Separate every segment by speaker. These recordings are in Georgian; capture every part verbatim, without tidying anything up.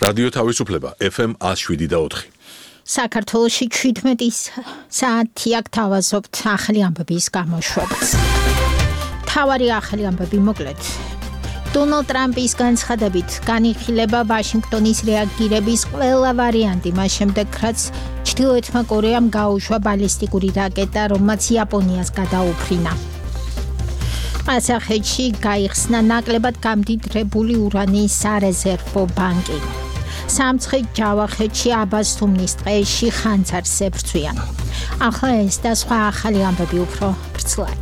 Speaker 1: რადიო თავისუფლება ეფ ემ one oh seven და four.
Speaker 2: საქართველოში seventeen საათი აქ თავაზობთ ახალი ამბების გამოშვებას. თავარი ახალი ამბები მოკლედ. დონალდ ტრამპის განცხადებით განიხილება ვაშინგტონის რეაგირების ყველა ვარიანტი მას შემდეგ, რაც ჩრდილოეთმა კორეამ გაუშვა ბალისტიკური რაკეტა, რომელმაც იაპონიას გადაუფრინა. ყაზახეთში გაიხსნა ნაკლებად გამდიდრებული ურანის სარეზერვო ბანკი. სამცხე ჯავახეთში აბასთუმნის ტყეში ხანძარს ებრძვიან. ახლა ეს და სხვა ახალი ამბები უფრო ბრწყლად.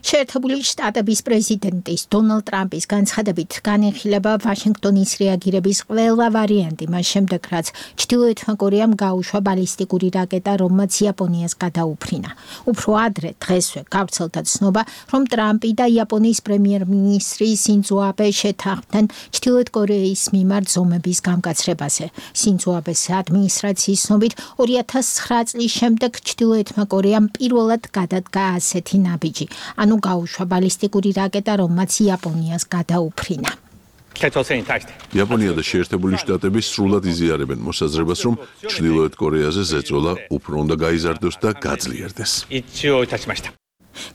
Speaker 2: შეერთებული შტატების პრეზიდენტის დონალდ ტრამპის განცხადებით განიხილება ვაშინგტონის რეაგირების ყველა ვარიანტი მას შემდეგ, რაც ჩრდილოეთმა კორეამ გაუშვა ბალისტიკური რაკეტა, რომელმაც იაპონიას გადაუფრინა. უფრო ადრე დღესვე გავრცელდა ცნობა, რომ ტრამპი და იაპონიის პრემიერ-მინისტრი სინძო აბე შეთანხმდნენ ჩრდილოეთ კორეის მიმართ ზომების გამკაცრებაზე. სინძო აბეს ადმინისტრაციის ცნობით two thousand nine წლის შემდეგ ჩრდილოეთმა კორეამ პირველად გადადგა ასეთი ნაბიჯი. ანუ გაუშვა ბალისტიკური რაკეტა, რომელმაც იაპონიას გადაუფრინა.
Speaker 1: იაპონია და შეერთებული შტატები სრულად იზიარებენ მოსაზრებას, რომ ჩრდილოეთ კორეაზე ზეწოლა უფრო უნდა გაიზარდოს და გაძლიერდეს.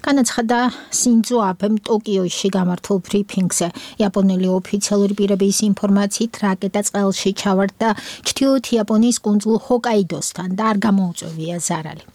Speaker 2: განაცხადა სინძო აბემ ტოკიოში გამართულ ბრიფინგზე. იაპონელი ოფიციალური პირების ინფორმაციით რაკეტა წყალში ჩავარდა ჩრდილოეთ იაპონიის კუნძულ ჰოკაიდოსთან და არ გამოუწვევია ზარალი.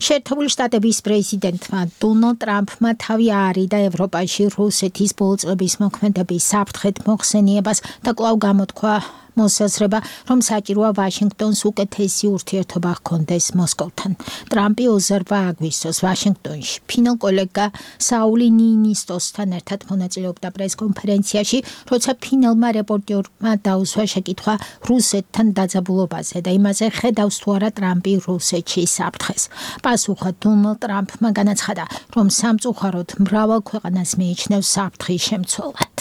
Speaker 2: შეერთებული შტატების პრეზიდენტმა დონალდ ტრამპმა თავი აარიდა ევროპაში რუსეთის ბოლო წლების მოქმედების საფრთხეთ მოხსენიებას და კვლავ გამოთქვა მოსაზრება, რომ საჭიროა ვაშინგტონს უკეთესი ურთიერთობა ჰქონდეს მოსკოვთან. ტრამპი ოცდაორი აგვისტოს ვაშინგტონში ფინელ კოლეგა საული ნინისტოსთან ერთად მონაწილეობდა პრესკონფერენციაში, როცა ფინელმა რეპორტერმა დაუსვა შეკითხვა რუსეთთან დაძაბულობაზე და იმაზე, ხედავს თუ არა ტრამპი რუსეთში საფრთხეს. პასუხად დონალდ ტრამპმა განაცხადა, რომ სამწუხაროდ მრავალ ქვეყანას მიიჩნევს საფრთხის შემცველად.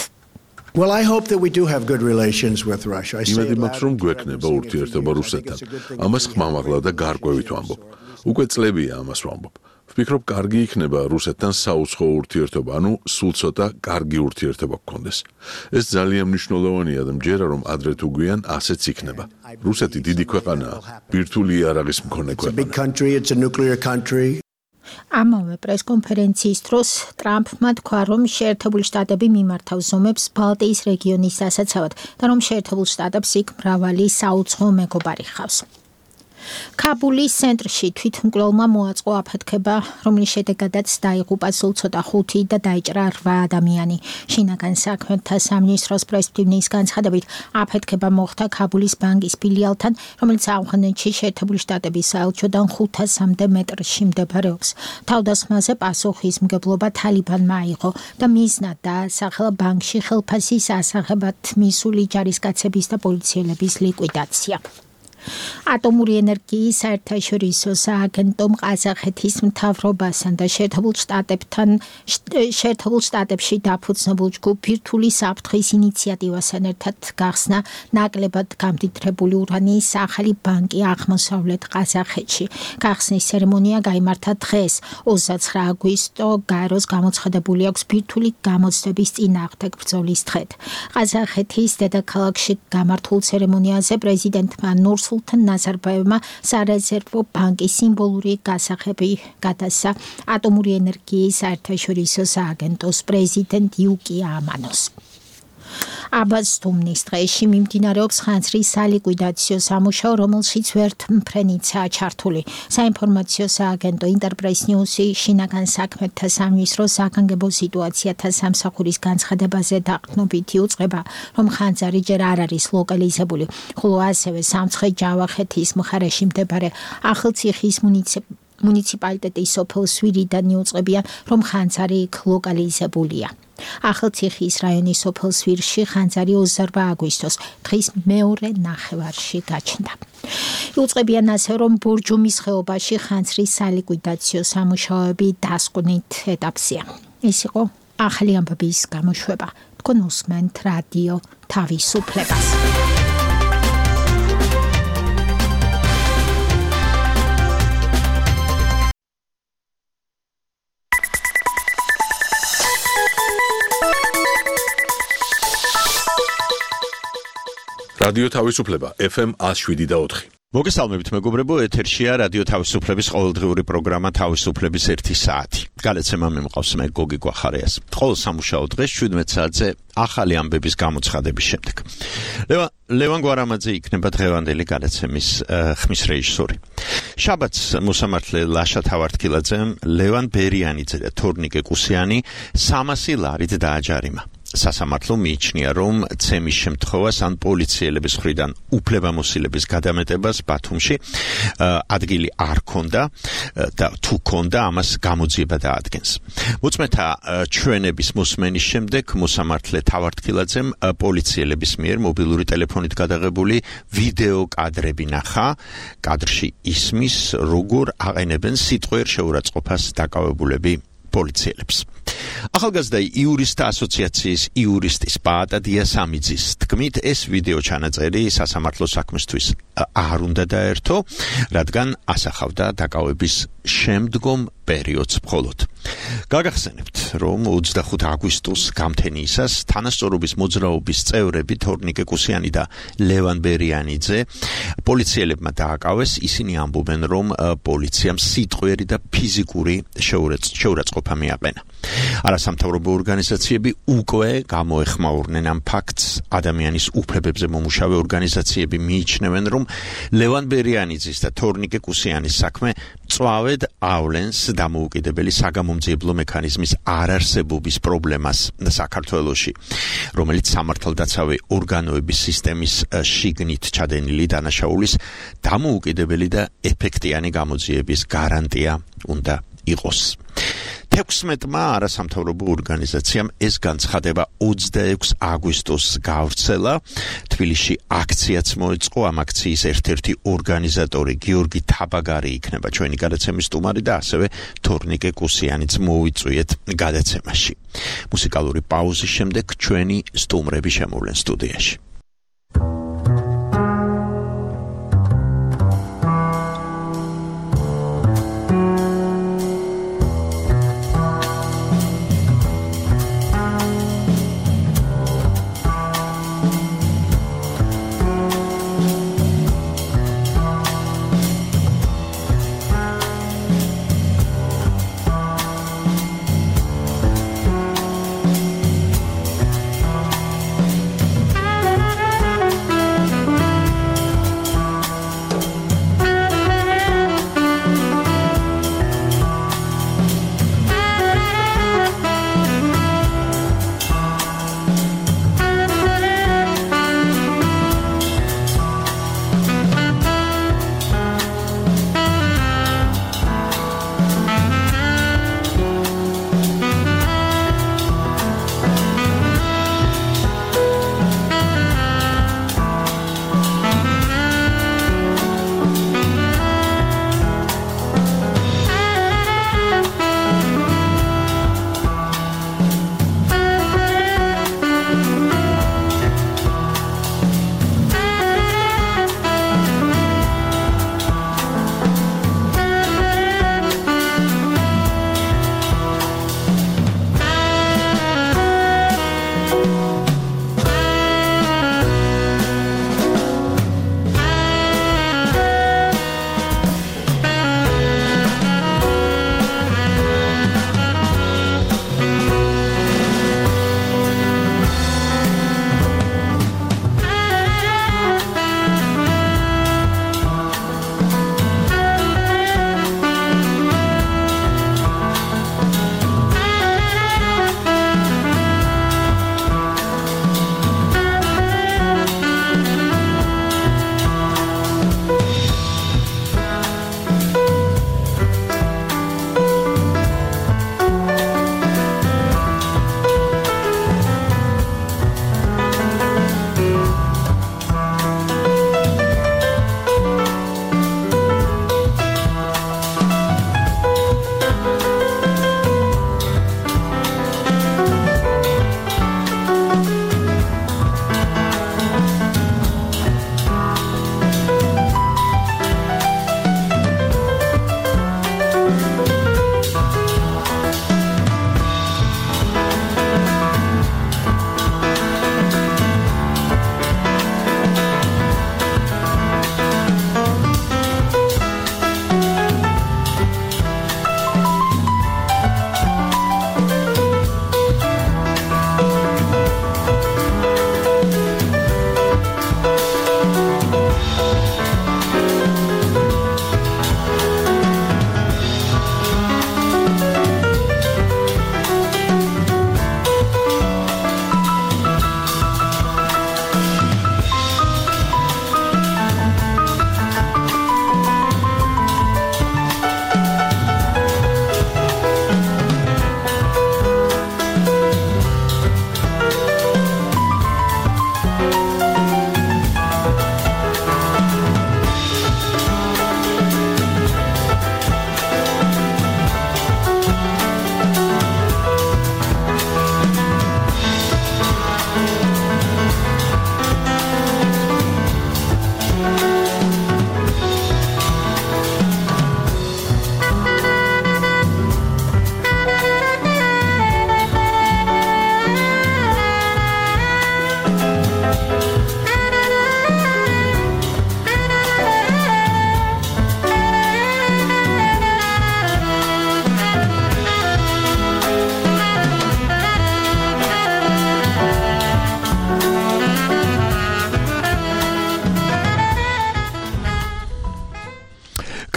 Speaker 3: Well, I hope that we do have good relations with Russia. I
Speaker 1: იმედი მაქვს, რომ გვექნება ურთიერთობა რუსეთთან. ამას ხმამაღლა და გარკვევით ვამბობ. უკვე წლებია ამას ვამბობ. ვფიქრობ, კარგი იქნება რუსეთთან საუცხო ურთიერთობა, ანუ სულ ცოტა კარგი ურთიერთობა გქონდეს. ეს ძალიან მნიშვნელოვანია და მჯერა, რომ ადრე თუ გვიან ასეც იქნება. რუსეთი დიდი ქვეყანაა, ბირთვული იარაღის მქონე ქვეყანა.
Speaker 2: ამავე პრესკონფერენციის დროს ტრამპმა თქვა, რომ შეერთებული შტატები მიმართავს ზომებს ბალტიის რეგიონის დასაცავად და რომ შეერთებულ შტატებს იქ მრავალი საუცხო მეგობარი ჰყავს. კაბულის ცენტრში თვითმკვლელმა მოაწყო აფეთქება, რომლის შედეგადაც დაიღუპა სულ ცოტა ხუთი და დაიჭრა რვა ადამიანი. შინაგან საქმეთა სამინისტროს პრესტივნის განცხადებით, აფეთქება მოხდა კაბულის ბანკის ფილიალთან, რომელიც ავღანეთში შეერთებული შტატების საელჩოდან ხუთასამდე მეტრში მდებარეობს. თავდასხმაზე პასუხისმგებლობა თალიბანმა აიღო და მიზნად დაასახელა ბანკში ხელფასის ასაღებად მისული ჯარისკაცების და პოლიციელების ლიკვიდაცია. ატომური ენერგიის საერთაშორისო სააგენტომ ყაზახეთის მთავრობასთან და შეერთებულ შტატებთან შეერთებულ შტატებში დაფუძნებულ ჯგუფ ბირთვული საფრთხის ინიციატივასთან ერთად გახსნა ნაკლებად გამდიდრებული ურანის ახალი ბანკი აღმოსავლეთ ყაზახეთში. გახსნის ცერემონია გაიმართა დღეს, ოცდათვრამეტი აგვისტო, გაეროს გამოცხადებული აქვს ბირთვული გამოცდების წინააღმდეგ ბრძოლის დღედ. ყაზახეთის დედაქალაქში გამართულ ცერემონიაზე პრეზიდენტმა ნურსულთან სულთან ნაზარბაევმა სარეზერვო ბანკის სიმბოლური გასაღები გადასცა ატომური ენერგიის საერთაშორისო სააგენტოს პრეზიდენტ იუკია ამანოს. აბასთუმნის ტყეში მიმდინარეობს ხანძრის სალიკვიდაციო სამუშაო, რომელშიც ვერთმფრენიცაა ჩართული. საინფორმაციო სააგენტო ინტერპრეს ნიუსი შინაგან საქმეთა სამინისტროს საგანგებო სიტუაციათა სამსახურის განცხადებაზე დაყრდნობით იუწყება, რომ ხანძარი ჯერ არ არის ლოკალიზებული, ხოლო ასევე სამცხე ჯავახეთის მხარეში მდებარე ახალციხის მუნიციპალიტეტი მუნიციპალიტეტის სოფელ სვირიდან იუწყებიან, რომ ხანძარი იქ ლოკალიზებულია. ახალციხის რაიონის სოფელ სვირში ხანძარი ოცდაორი აგვისტოს დღის მეორე ნახევარში გაჩნდა. იუწყებიან ასე, რომ ბორჯომის ხეობაში ხანძრის სალიკვიდაციო სამუშაოები დასკვნით ეტაპზეა. ეს იყო ახალი ამბების გამოშვება. თქვენ უსმენთ რადიო თავისუფლებას.
Speaker 1: რადიო თავისუფლება ეფ ემ one oh seven point four.
Speaker 4: მოგესალმებით მეგობრებო, ეთერშია რადიო თავისუფლების ყოველდღიური პროგრამა თავისუფლების ერთი საათი. გადაცემა მიმყავს მე გოგი გვახარიას. ყოველ სამუშაო დღეს შვიდმეტ საათზე ახალი ამბების გამოცხადების შემდეგ. ლევან ლევან გვარამაძე იქნება დღევანდელი გადაცემის ხმის რეჟისორი. შაბათს მოსამართლე ლაშა თავართქილაძემ ლევან ბერიანიძე და თორნიკე კუსიანი სამასი ლარით დააჯარიმა. სასამართლო მიიჩნია, რომ ცემის შემთხვევას ან პოლიციელების მხრიდან უფლებამოსილების გადამეტებას ბათუმში ადგილი არ ქონდა და თუ ქონდა, ამას გამოძიება დაადგენს. მოწმეთა ჩვენების მოსმენის შემდეგ მოსამართლე თავართქილაძემ პოლიციელების მიერ მობილური ტელეფონით გადაღებული ვიდეო კადრები ნახა. კადრში ისმის, როგორ აყენებენ სიტყვიერ შეურაცხყოფას დაკავებულები პოლიციელებს. ახალგაზრდა იურისტთა ასოციაციის იურისტის პაატა დიასამიძის თქმით, ეს ვიდეო ჩანაწერი სასამართლო საქმესთვის არ უნდა დაერთო, რადგან ასახავდა დაკავების შემდგომ პერიოდს მხოლოდ. გაგახსენებთ, რომ ოცდახუთი აგვისტოს გამთენიისას თანასწორობის მოძრაობის წევრები თორნიკე კუსიანი და ლევან ბერიანიძე პოლიციელებმა დააკავეს. ისინი ამბობენ, რომ პოლიციამ სიტყვიერი და ფიზიკური შეურაცხყოფა მიაყენა. არასამთავრობო ორგანიზაციები უკვე გამოეხმაურნენ ამ ფაქტს. ადამიანის უფლებებზე მომუშავე ორგანიზაციები მიიჩნევენ, რომ ლევან ბერიანიძის და თორნიკე კუსიანის საქმე მწვავედ ავლენს დამოუკიდებელი საგამომძიებლო მექანიზმის არარსებობის პრობლემას საქართველოში, რომელიც სამართალდაცავი ორგანოების სისტემის შიგნით ჩადენილი დანაშაულის დამოუკიდებელი და ეფექტიანი გამოძიების გარანტია უნდა იყოს. თექვსმეტმა არასამთავრობო ორგანიზაციამ ეს განცხადება ოცდაექვსი აგვისტოს გავრცელა. თბილისში აქციაც მოეწყო. ამ აქციის ერთ-ერთი ორგანიზატორი გიორგი თაბაგარი იქნება ჩვენი გადაცემის სტუმარი და ასევე თორნიკე კუსიანიც მოვიწვიეთ გადაცემაში. მუსიკალური პაუზის შემდეგ ჩვენი სტუმრები შემოვლენ სტუდიაში.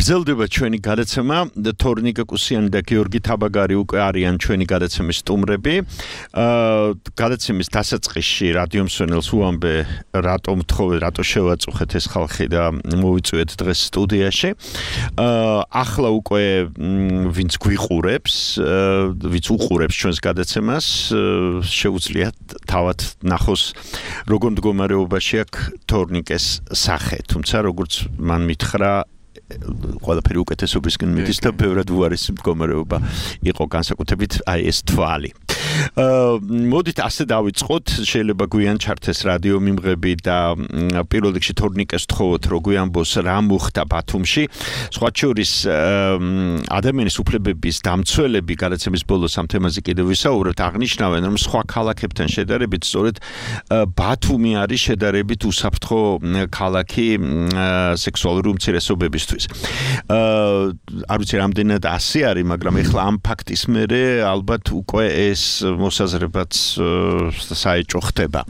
Speaker 4: გრძელდება ჩვენი გადაცემა თორნიკა კუსიანი და გიორგი თაბაგარი უკვე არიან ჩვენი გადაცემის სტუმრები. გადაცემის დასაწყისში რადიო მსმენელს უამბე რატომ თხოვე, რატო შევაწუხეთ ეს ხალხი და მოვიწვიეთ დღეს სტუდიაში. ახლა უკვე ვინც გვიყურებს, ვინც უყურებს ჩვენს გადაცემას, შეუძლია თავად ნახოს როგორ მდგომარეობაში აქვს თორნიკეს სახე, თუმცა როგორც მან მითხრა ყველაფერი უკეთესობისკენ მიდის და ბევრად უარესი მდგომარეობა იყო განსაკუთრებით აი ეს თვალი. მოდით ასე დავიწყოთ, შეიძლება გვიან ჩართეს რადიო მიმღები და პირველ რიგში თორნიკეს თხოვოთ, რომ გვიანბოს რა მოხდა ბათუმში. სხვა შორის ადამიანის უფლებების დამცველები გადაცემის ბოლოს ამ თემაზე კიდევ ვისაუბრებთ, აღნიშნავენ, რომ სხვა ქალაქებთან შედარებით სწორედ ბათუმი არის შედარებით უსაფრთხო ქალაქი სექსუალური უმცირესობებისთვის. არ ვიცი რამდენად ასე არის, მაგრამ ეხლა ამ ფაქტის მერე ალბათ უკვე ეს მოსაზრებაც საეჭვო ხდება.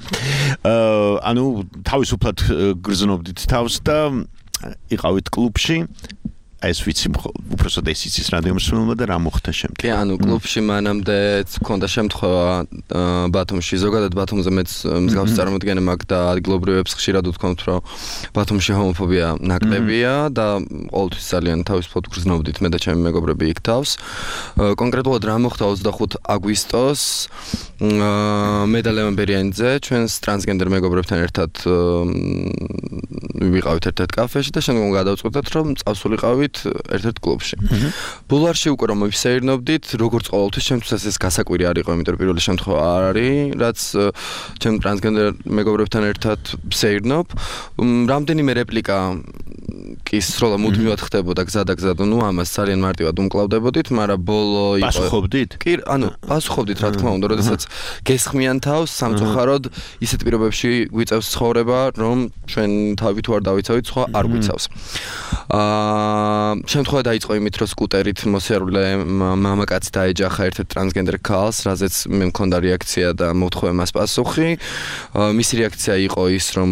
Speaker 4: ანუ თავისუფლად გრძნობდით თავს და იყავით კლუბში. ეს ვიცი უბრალოდ ეს იცის რადიო მსმენელმა და რა მოხდა შემდეგ.
Speaker 5: კი, ანუ კლუბში მანამდეც მქონდა შემთხვევა ბათუმში, ზოგადად ბათუმზე მეც მსგავსი წარმოდგენა მაქვს და ადგილობრივებს ხშირად ვთქვამთ, რომ ბათუმში ჰომოფობია ნაკლებია და ყოველთვის ძალიან თავისუფლად გრძნობდით მე და ჩემი მეგობრები იქ თავს. კონკრეტულად რა მოხდა ოცდახუთი აგვისტოს მე და ლევან ბერიანიძე ჩვენს ტრანსგენდერ მეგობრებთან ერთად ვიყავით ერთ-ერთ კაფეში და შემდგომ გადავწყვეტეთ, რომ წავსულიყავით ერთ-ერთ კლუბში. ბულვარში უკვე რომ ვისეირნობდით, როგორც ყოველთვის ჩემთვის ეს გასაკვირი არ იყო, იმიტომ რომ პირველი შემთხვევა არ არის, რაც ჩემ ტრანსგენდერ მეგობრებთან ერთად ვსეირნობ. რამდენიმე რეპლიკა კი სროლა მუდმივად ხდებოდა გზა და გზა, ნუ ამას ძალიან მარტივად უმკლავდებოდით, მაგრამ ბოლო იყო.
Speaker 4: პასუხობდით?
Speaker 5: კი, ანუ პასუხობდით რა თქმა უნდა, როდესაც გესხმიან თავს სამწუხაროდ ისეთ პირობებში გვიწევს ცხოვრება, რომ ჩვენ თავი თუ არ დავიცავით, სხვა არ გვიცავს. აა შემთხვევა დაიწყო იმით, რომ სკუტერით მოსიარულე მამაკაცი დაეჯახა ერთ-ერთ ტრანსგენდერ ქალს, რაზეც მე მქონდა რეაქცია და მოვთხოვე მას პასუხი. მისი რეაქცია იყო ის, რომ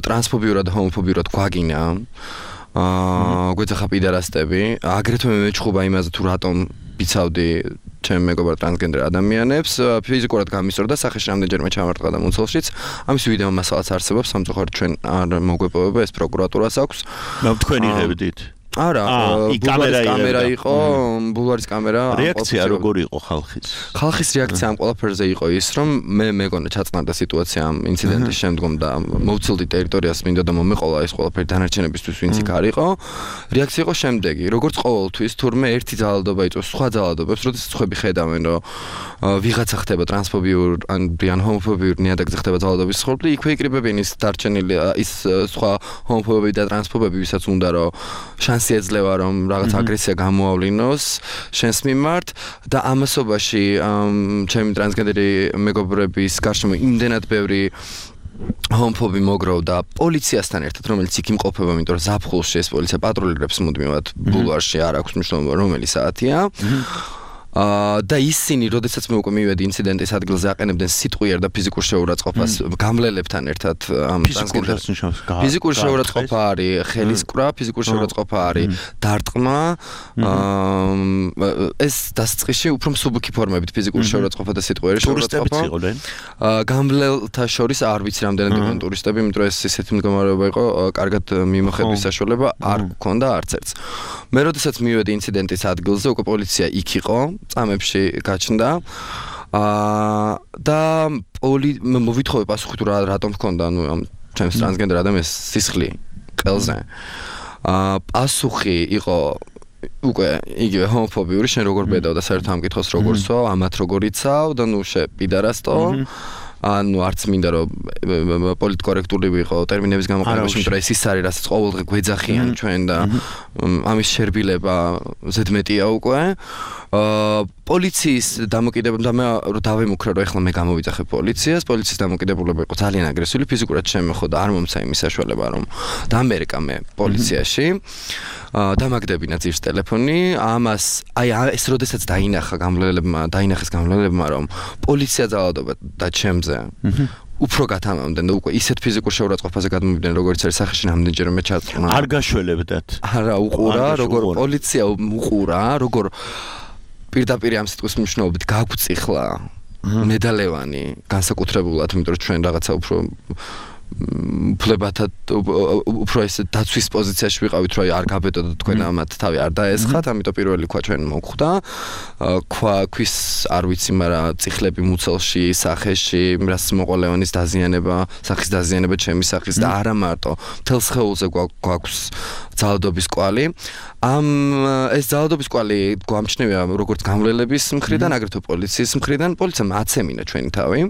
Speaker 5: ტრანსფობიურად და ჰომოფობიურად გვაგინა. აა გვეძახა პიდარასტები. აგრეთვე მე მეჩხუბა იმაზე თუ რატომ ვიცავდი ჩემ მეგობრ ტრანსგენდერ ადამიანებს, ფიზიკურად გამისწორდა სახეში რამდენჯერმე ჩამარტყა და მუცელშიც. ამის ვიდეო მასალაც არსებობს, სამწუხაროდ ჩვენ არ მოგვეპოვება, ეს პროკურატურას აქვს.
Speaker 4: მე თქვენ იღებდით?
Speaker 5: არა, ბულვარის კამერა იყო, ბულვარის კამერა.
Speaker 4: რეაქცია როგორი იყო ხალხის?
Speaker 5: ხალხის რეაქცია ამ ყველაფერზე იყო ის, რომ მე მეგონა ჩაწყნარდა სიტუაცია ამ ინციდენტის შემდგომ და მოვცილდი ტერიტორიას, მინდა და მომეყოლა ეს ყველაფერი დანარჩენებისთვის, ვინც იქ არ იყო. რეაქცია იყო შემდეგი, როგორც ყოველთვის, თურმე ერთი ძალადობა იწვევს სხვა ძალადობებს, როდესაც ხვები ხედავენ, რომ ვიღაცა ხდება ტრანსფობიურ ან ჰომოფობიურ ნიადაგზე ხდება ძალადობის სხდომები, იქვე იკრიბებიან ის დარჩენილი ის სხვა ჰომოფობები და ტრანსფობები, ვისაც უნდა რომ შანსი ეძლევა რომ რაღაც აგრესია გამოავლინოს შენს მიმართ და ამასობაში ჩემი ტრანსგენდერი მეგობრების გარშემო იმდენად ბევრი ჰომოფობი მოგროვდა პოლიციასთან ერთად, რომელიც იქ იმყოფება, იმიტომ რომ ზაფხულში ეს პოლიცია პატრულირებს მუდმივად ბულვარში, არ აქვს მნიშვნელობა რომელი საათია. და ისინი, როდესაც მე უკვე მივედი ინციდენტის ადგილზე, აყენებდნენ სიტყვიერ და ფიზიკურ შეურაცხყოფას გამლელებთან ერთად ამ ტრანსგენდერ. ფიზიკური შეურაცხყოფა არის ხელისკვრა, ფიზიკური შეურაცხყოფა არის დარტყმა. ეს დასაწყისში უფრო მსუბუქი ფორმებით ფიზიკური შეურაცხყოფა და სიტყვიერი შეურაცხყოფა. გამლელთა შორის არ ვიცი რამდენად იყვნენ ტურისტები, იმიტომ რომ ეს ისეთი მდგომარეობა იყო, კარგად მიმოხედვის საშუალება არ გქონდა არც ერთს. მე როდესაც მივედი ინციდენტის ადგილზე, უკვე პოლიცია იქ იყო. წამებში გაჩნდა. აა და პოლი მოვითხოვე პასუხი თუ რატომ ჰქონდა ანუ ამ ჩემს ტრანსგენდერ ადამიანს სისხლი ყელზე. აა პასუხი იყო უკვე იგივე ჰომოფობიური, შენ როგორ ბედავ და საერთოდ ამ კითხოს როგორ სვავ, ამათ როგორ იცავ და ნუ შე პიდარასტო. ანუ არც მინდა რომ პოლიტკორექტული ვიყო ტერმინების გამოყენებაში, იმიტომ რომ ეს ის არის, რასაც ყოველდღე გვეძახიან ჩვენ და ამის შერბილება ზედმეტია უკვე. აა პოლიციის დამოკიდებულება და მე რომ დავემუქრე რომ ეხლა მე გამოვიძახე პოლიციას, პოლიციის დამოკიდებულება იყო ძალიან აგრესიული, ფიზიკურად შემეხო და არ მომცა იმის საშუალება რომ დამერეკა მე პოლიციაში. აა დამაგდებინა ძირს ტელეფონი, ამას აი ეს როდესაც დაინახა გამლელებმა, დაინახეს გამლელებმა რომ პოლიცია ძალადობა და ჩემზე უფრო გათამამდნენ და უკვე ისეთ ფიზიკურ შეურაცხყოფაზე გადმოვიდნენ როგორც არის სახეში რამდენჯერმე ჩაწყნა.
Speaker 4: არ გაშველებდათ.
Speaker 5: არა, უყურა, როგორ პოლიცია უყურა, როგორ პირდაპირ ამ სიტყვის მნიშვნელობით გაგვწიხლა მედალევანი განსაკუთრებულად, იმიტომ რომ ჩვენ რაღაცა უფრო ფლებათა უფრო ეს დაცვის პოზიციაში ვიყავით, რომ არ გაბედოთ თქვენ ამათ თავი არ დაესხათ, ამიტომ პირველი ქვა ჩვენ მოგხვდა. ქვა ქვის არ ვიცი, მაგრამ წიხლები მუცელში, სახეში, რას მოყოლეონის დაზიანება, სახის დაზიანება ჩემი სახის და არა მარტო, მთელ სხეულზე გვაქვს ძალადობის კვალი. ამ ეს ძალადობის კვალი გვამჩნევია როგორც გამვლელების მხრიდან, აგრეთვე პოლიციის მხრიდან. პოლიციამ აცემინა ჩვენი თავი.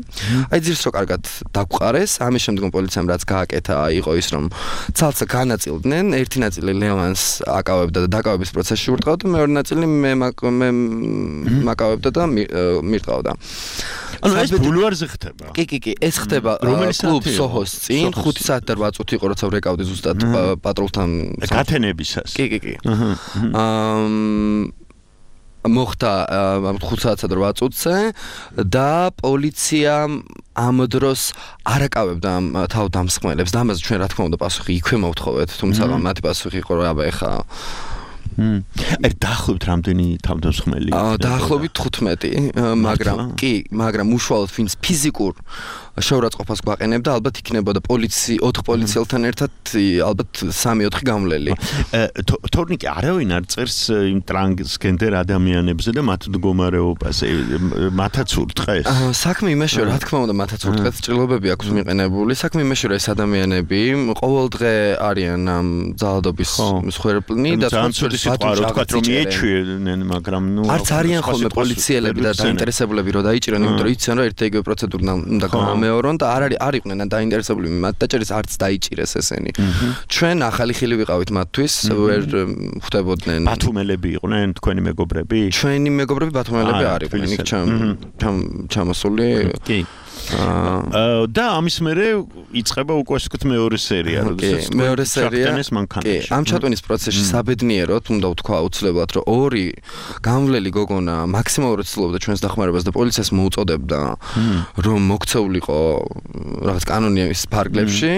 Speaker 5: აი ძირს რო კარგად დაგვყარეს, ამის შემდგომ პოლიციამ რაც გააკეთა, იყო ის რომ ცალსა განაწილდნენ, ერთი ნაწილი ლევანს აკავებდა და დაკავების პროცესში ურტყავდა, მეორე ნაწილი მე მე მაკავებდა და მირტყავდა.
Speaker 4: ანუ ეს ბულვარზე ხდება.
Speaker 5: კი, კი, კი, ეს ხდება კლუბ სოჰოს წინ, ხუთი საათი და რვა წუთი იყო, როცა ვრეკავდი ზუსტად პატრულთან
Speaker 4: გათენებისას.
Speaker 5: კი, კი, კი. აა მოხდა ხუთ საათსა და რვა წუთზე და პოლიცია ამ დროს არ აკავებდა ამ თავდამსხმელებს და ამაზე ჩვენ რა თქმა უნდა პასუხი იქვე მოვთხოვეთ, თუმცა მათი პასუხი იყო რომ აბა ეხა
Speaker 4: მმ ეს დაახლოებით რამდენი თავდამსხმელი?
Speaker 5: აა დაახლოებით თხუთმეტი, მაგრამ კი, მაგრამ უშუალოდ ვინც ფიზიკურ შეურაცხყოფას გვაყენებდა, ალბათ იქნებოდა პოლიცი, ოთხ პოლიციელთან ერთად ალბათ სამი ოთხი გამვლელი.
Speaker 4: თორნიკი არავინ არ წერს იმ ტრანსგენდერ ადამიანებზე და მათ მდგომარეობაზე, მათაც ურტყეს.
Speaker 5: საქმე იმაშია, რა თქმა უნდა, მათაც ურტყეს, ჭრილობები აქვს მიყენებული. საქმე იმაშია, ეს ადამიანები ყოველ დღე არიან ამ ძალადობის მსხვერპლნი და
Speaker 4: თქვათ რომ მიეჩვენენ, მაგრამ ნუ
Speaker 5: არც არიან ხოლმე პოლიციელები და დაინტერესებულები რომ დაიჭირონ, იმიტომ რომ იციან რომ ერთ იგივე პროცედურა უნდა გამეორონ და არ არის არ იყვნენ დაინტერესებული მათ დაჭერეს არც დაიჭირეს ესენი. ჩვენ ახალი ხილი ვიყავით მათთვის, ვერ ხვდებოდნენ.
Speaker 4: ბათუმელები იყვნენ თქვენი მეგობრები?
Speaker 5: ჩვენი მეგობრები ბათუმელები არ იყვნენ, იქ ჩამოსული.
Speaker 4: კი. აა და ამის მერე იწყება უკვე ასე ვთქვით მეორე სერია, როდესაც
Speaker 5: მეორე სერია კი, ამ ჩატვინის პროცესში საბედნიეროდ უნდა ვთქვა აუცილებლად, რომ ორი გამვლელი გოგონა მაქსიმალურად ცდილობდა ჩვენს დახმარებას და პოლიციას მოუწოდებდა, რომ მოქცეულიყო რაღაც კანონის ფარგლებში.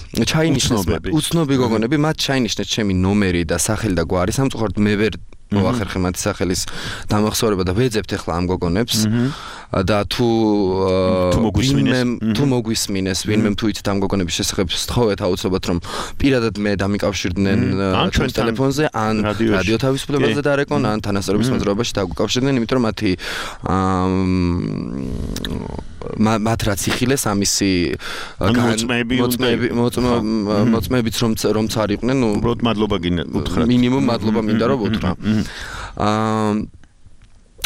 Speaker 5: ჩაინიშნეს უცნობი გოგონები, მათ ჩაინიშნეს ჩემი ნომერი და სახელი და გვარი, სამწუხაროდ მე ვერ მოახერხე მათი სახელის დამახსოვრება და ვეძებთ ახლა ამ გოგონებს და თუ თუ მოგვისმინეს ვინმე თუ იცით ამ გოგონების შესახებ სთხოვეთ აუცილებლად რომ პირადად მე დამიკავშირდნენ ჩვენ ტელეფონზე ან რადიო თავისუფლებაზე დარეკონ ან თანასწორობის მოძრაობაში დაგვიკავშირდნენ, იმიტომ რომ მათი მათ რაც იხილეს ამისი მოწმეებიც რომ რომც არ იყვნენ, ნუ
Speaker 4: უბრალოდ მადლობა გინდა უთხრათ.
Speaker 5: მინიმუმ მადლობა მინდა რომ უთხრა. აა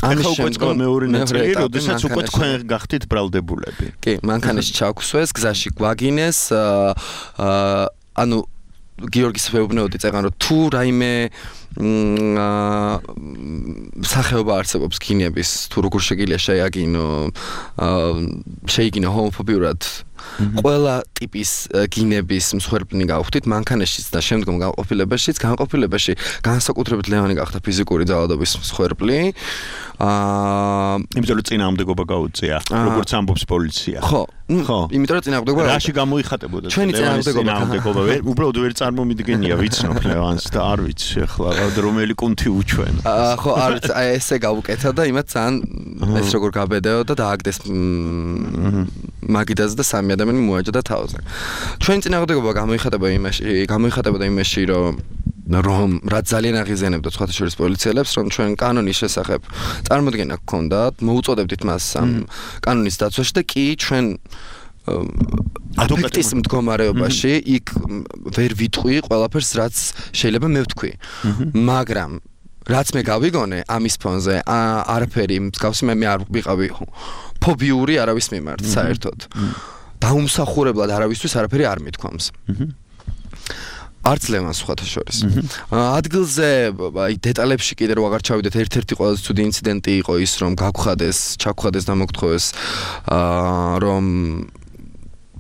Speaker 4: ამის შემდგომ მეორე ნაწილი, როდესაც უკვე თქვენ გახდით ბრალდებულები.
Speaker 5: კი, მანქანაში ჩაგვსვეს, გზაში გვაგინეს, აა ანუ გიორგის ვეუბნეოდი წეგან რომ თუ რაიმე აა სახეობა არსებობს გინების, თუ როგორ შეგიძლია შეაგინო, აა შეიგინო ჰომოფობიურად ყველა ტიპის გინების მსხვერპლნი გავხდით მანქანაშიც და შემდგომ განყოფილებაშიც, განყოფილებაში განსაკუთრებით ლევანი გახდა ფიზიკური ძალადობის მსხვერპლი. აა
Speaker 4: იმიტომ რომ წინააღმდეგობა გაუწია, როგორც ამბობს პოლიცია.
Speaker 5: ხო, ხო, იმიტომ რომ წინააღმდეგობა
Speaker 4: რაში გამოიხატებოდა?
Speaker 5: ჩვენი
Speaker 4: წინააღმდეგობა ვერ უბრალოდ ვერ წარმომიდგენია, ვიცნობ ლევანს და არ ვიცი ახლა რომელი კუნთი უჩვენ.
Speaker 5: აა ხო, არ ესე გავუკეთა და იმათ ძალიან ეს როგორ გაბედეოდა და დააგდეს მაგიდაზე და სამი ადამიანი მოაჯდა თავზე. ჩვენი წინააღმდეგობა გამოიხატება იმაში, გამოიხატებოდა იმაში, რომ რომ რაც ძალიან აღიზიანებდა სხვათა შორის პოლიციელებს, რომ ჩვენ კანონის შესახებ წარმოდგენა გქონდათ, მოუწოდებდით მას ამ კანონის დაცვაში და კი ჩვენ ადვოკატის მდგომარეობაში იქ ვერ ვიტყვი ყველაფერს, რაც შეიძლება მე ვთქვი. მაგრამ რაც მე გავიგონე ამის ფონზე, არაფერი მსგავსი მე არ ვიყავი ფობიური არავის მიმართ საერთოდ. დაუმსახურებლად არავისთვის არაფერი არ მithქვამს. არც ლევანს სხვათა შორის. ადგილზე აი დეტალებში კიდე რო აღარ ჩავიდეთ, ერთ-ერთი ყველაზე ცუდი ინციდენტი იყო ის, რომ გაგხადეს, ჩაგხადეს და მოგთხოვეს აა რომ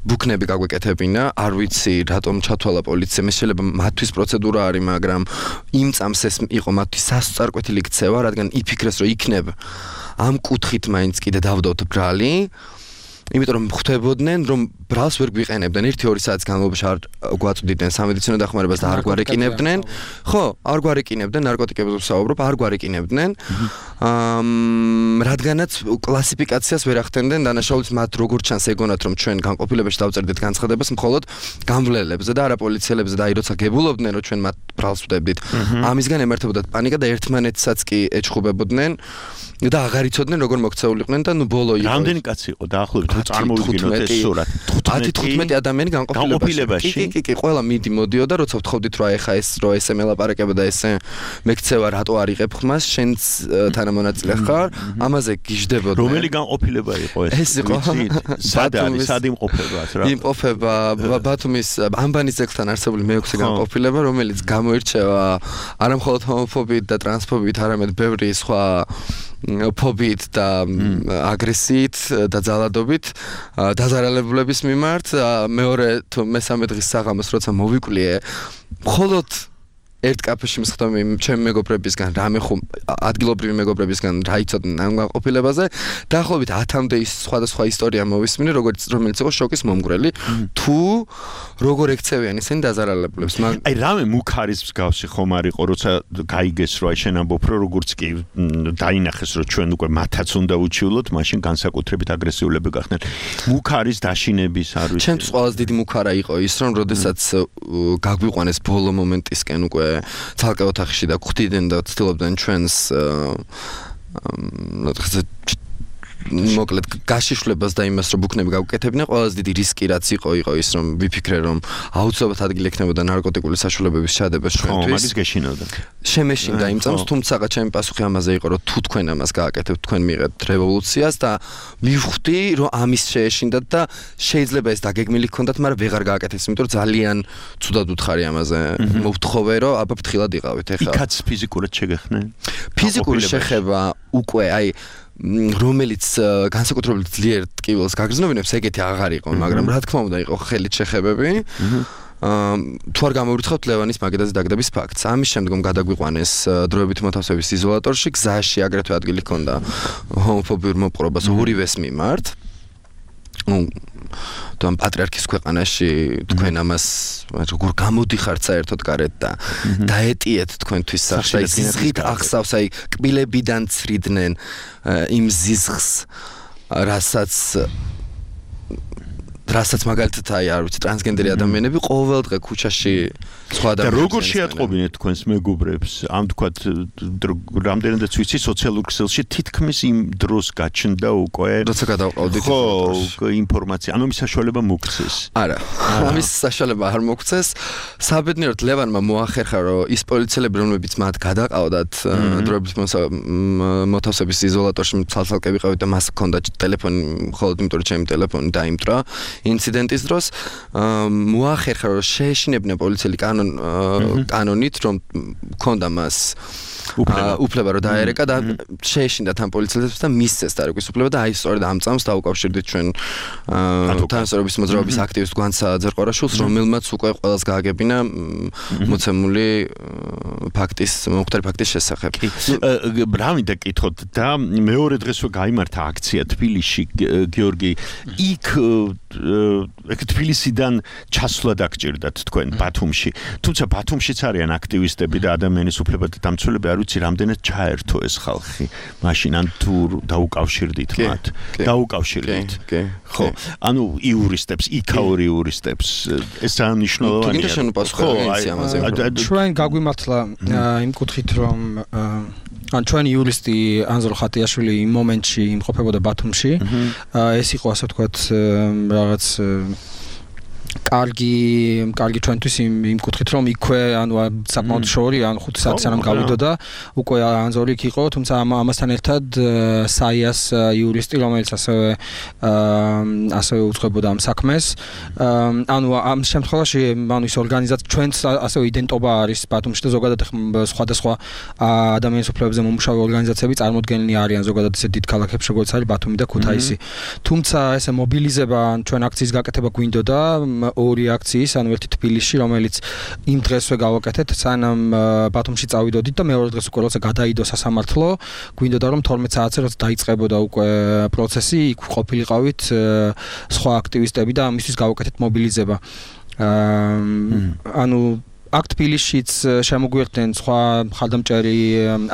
Speaker 5: ბუქნები გაგვეკეთებინა, არ ვიცი რატომ ჩათვალა პოლიციამ, შეიძლება მათთვის პროცედურა არის, მაგრამ იმ წამს ეს იყო მათთვის სასწარკვეთილი ქცევა, რადგან იფიქრეს, რომ იქნებ ამ კუთხით მაინც კიდე დავდოთ ბრალი. იმიტომ რომ ხვდებოდნენ რომ ბრალს ვერ გვიყენებდნენ ერთი ორი საათის განმავლობაში არ გვაწვდიდნენ სამედიცინო დახმარებას და არ გვარეკინებდნენ ხო არ გვარეკინებდნენ ნარკოტიკებზე ვსაუბრობ არ გვარეკინებდნენ რადგანაც კლასიფიკაციას ვერ ახდენდნენ დანაშაულს მათ როგორც ჩანს ეგონათ რომ ჩვენ განყოფილებაში დავწერდით განცხადებას მხოლოდ გამვლელებზე და არა პოლიციელებზე და აი როცა გებულობდნენ რომ ჩვენ მათ ბრალს ვდებდით ამისგან ემართებოდათ პანიკა და ერთმანეთსაც კი ეჩხუბებოდნენ და აღარ იცოდნენ როგორ მოქცეულიყვნენ და ნუ ბოლო იყო
Speaker 4: რამდენი კაცი იყო დაახლოებით თუ წარმოვიდგინოთ ეს სურათი
Speaker 5: ათი თხუთმეტი ადამიანი განყოფილებაში კი კი კი ყველა მიდი მოდიოდა როცა ვთხოვდით რომ ეხა ეს რო ესე მელაპარაკება და ესე მეკცევა რატო არ იღებ ხმას შენც თანამონაწილე ხარ ამაზე გიждდებოდნენ
Speaker 4: რომელი განყოფილება იყო ეს
Speaker 5: ეს იყო
Speaker 4: სად არის სად იმყოფება რა
Speaker 5: იმყოფება ბათუმის ამბანის ძეგლთან არსებული მეექვსე განყოფილება რომელიც გამოირჩევა არა მხოლოდ ჰომოფობიით და ტრანსფობიით არამედ ბევრი სხვა ფობიით და აგრესიით და ძალადობით დაზარალებულების მიმართ მეორე თუ მესამე დღის საღამოს როცა მოვიკვლიე მხოლოდ ერთ კაფეში მსხდომი ჩემი მეგობრებისგან რამე ხომ ადგილობრივი მეგობრებისგან რა იცოდნენ ამ განყოფილებაზე დაახლოებით ათამდე ის სხვადასხვა ისტორია მოვისმინე როგორც რომელიც იყო შოკის მომგვრელი თუ როგორ ექცევიან ისინი დაზარალებულებს
Speaker 4: აი რამე მუქარის მსგავსი ხომ არ იყო როცა გაიგეს რომ აი შენ ამბობ რომ როგორც კი დაინახეს რომ ჩვენ უკვე მათაც უნდა უჩივლოთ მაშინ განსაკუთრებით აგრესიულები გახდნენ მუქარის დაშინების არ ვიცი
Speaker 5: ჩემთვის ყველაზე დიდი მუქარა იყო ის რომ როდესაც გაგვიყვანეს ბოლო მომენტისკენ უკვე ცალკე ოთახში და გვხვდნენ და ცდილობდნენ ჩვენს მოკლედ გაშიშვლებას და იმას რომ ბუქნები გავკეთებდნენ ყველაზე დიდი რისკი რაც იყო იყო ის რომ ვიფიქრე რომ აუცილებლად ადგილი ექნებოდა ნარკოტიკული საშუალებების ჩადებას ჩვენთვის
Speaker 4: ხო მაგის გეშინოდა
Speaker 5: შემეშინდა იმ წამს თუმცა ჩემი პასუხი ამაზე იყო რომ თუ თქვენ ამას გააკეთებთ თქვენ მიიღებთ რევოლუციას და მივხვდი რომ ამის შეეშინდათ და შეიძლება ეს დაგეგმილი გქონდათ მაგრამ ვეღარ გააკეთეს იმიტომ რომ ძალიან ცუდად უთხარი ამაზე მოვთხოვე რომ აბა ფრთხილად იყავით ეხლა
Speaker 4: იქაც ფიზიკურად შეგეხნენ
Speaker 5: ფიზიკური შეხება უკვე აი რომელიც განსაკუთრებით ძლიერ ტკივილს გაგრძნობინებს ეგეთი აღარ იყო მაგრამ რა თქმა უნდა იყო ხელით შეხებები თუ არ გამოვრიცხავთ ლევანის მაგიდაზე დაგდების ფაქტს ამის შემდგომ გადაგვიყვანეს დროებით მოთავსების იზოლატორში გზაში აგრეთვე ადგილი ჰქონდა ჰომოფობიურ მოპყრობას ორივეს მიმართ თუ ამ პატრიარქის ქვეყანაში თქვენ ამას როგორ გამოდიხართ საერთოდ გარეთ და დაეტიეთ თქვენთვის სახში და ზიზღით ახსავს აი კბილებიდან ცრიდნენ იმ ზიზღს რასაც რასაც მაგალითად აი არ ვიცი ტრანსგენდერი ადამიანები ყოველ დღე ქუჩაში სხვა ადამიანებს
Speaker 4: და როგორ შეატყობინეთ თქვენს მეგობრებს ამ თქვათ რამდენადაც ვიცი სოციალურ ქსელში თითქმის იმ დროს გაჩნდა უკვე
Speaker 5: როცა გადავყავდით
Speaker 4: ხო ინფორმაცია ანუ მის საშუალება მოგცეს
Speaker 5: არა ამის საშუალება არ მოგცეს საბედნიეროდ ლევანმა მოახერხა რომ ის პოლიციელები რომლებიც მათ გადაყავდათ დროებით მოთავსების იზოლატორში ცალ-ცალკე ვიყავით და მას ჰქონდა ტელეფონი მხოლოდ იმიტომ რომ ჩემი ტელეფონი დაიმტრა ინციდენტის დროს მოახერხა რომ შეეშინებდნენ პოლიციელი კანონ კანონით რომ ქონდა მას უფლება რომ დაერეკა და შეეშინდა თან პოლიციელებს და მისცეს დარეკვის უფლება და აი სწორედ ამ წამს დაუკავშირდით ჩვენ თანასწორობის მოძრაობის აქტივისტ გვანცა ძერყორაშვილს რომელმაც უკვე ყველას გააგებინა მოცემული ფაქტის მომხდარი ფაქტის შესახებ.
Speaker 4: რა მინდა კითხოთ და მეორე დღესვე გაიმართა აქცია თბილისში გიორგი იქ ეგ თბილისიდან ჩასვლა დაგჭირდათ თქვენ ბათუმში თუმცა ბათუმშიც არიან აქტივისტები და ადამიანის უფლებათა დამცველები არ ვიცი რამდენად ჩაერთო ეს ხალხი მაშინ ან თუ დაუკავშირდით მათ დაუკავშირდით ხო ანუ იურისტებს იქაური იურისტებს ეს ძალიან მნიშვნელოვანია
Speaker 5: თუ გინდა პასუხი ამაზე
Speaker 6: ჩვენ გაგვიმართლა იმ კუთხით რომ ან ჩვენი იურისტი ანზორ ხატიაშვილი იმ მომენტში იმყოფებოდა ბათუმში ეს იყო ასე ვთქვათ რაღაც კარგი კარგი ჩვენთვის იმ იმ კუთხით რომ იქვე ანუ საკმაოდ შორი ან ხუთი საათი სანამ გავიდოდა უკვე ანზორი იქ იყო თუმცა ამასთან ერთად საიას იურისტი რომელიც ასევე ასევე უძღვებოდა ამ საქმეს ანუ ამ შემთხვევაში ანუ ის ორგანიზაცია ჩვენც ასევე იდენტობა არის ბათუმში და ზოგადად სხვადასხვა ადამიანის უფლებებზე მომუშავე ორგანიზაციები წარმოდგენილი არიან ზოგადად ისეთ დიდ ქალაქებში როგორც არის ბათუმი და ქუთაისი თუმცა ესე მობილიზება ჩვენ აქციის გაკეთება გვინდოდა ორი აქციის, ანუ ერთი თბილისში, რომელიც იმ დღესვე გავაკეთეთ, სანამ ბათუმში წავიდოდით და მეორე დღეს უკვე როცა გადაიდო სასამართლო, გვინდოდა რომ თორმეტ საათზე როცა დაიწყებოდა უკვე პროცესი, იქ ყოფილიყავით სხვა აქტივისტები და ამისთვის გავაკეთეთ მობილიზება. ანუ აქ თბილისშიც შემოგვიერთდნენ სხვა მხარდამჭერი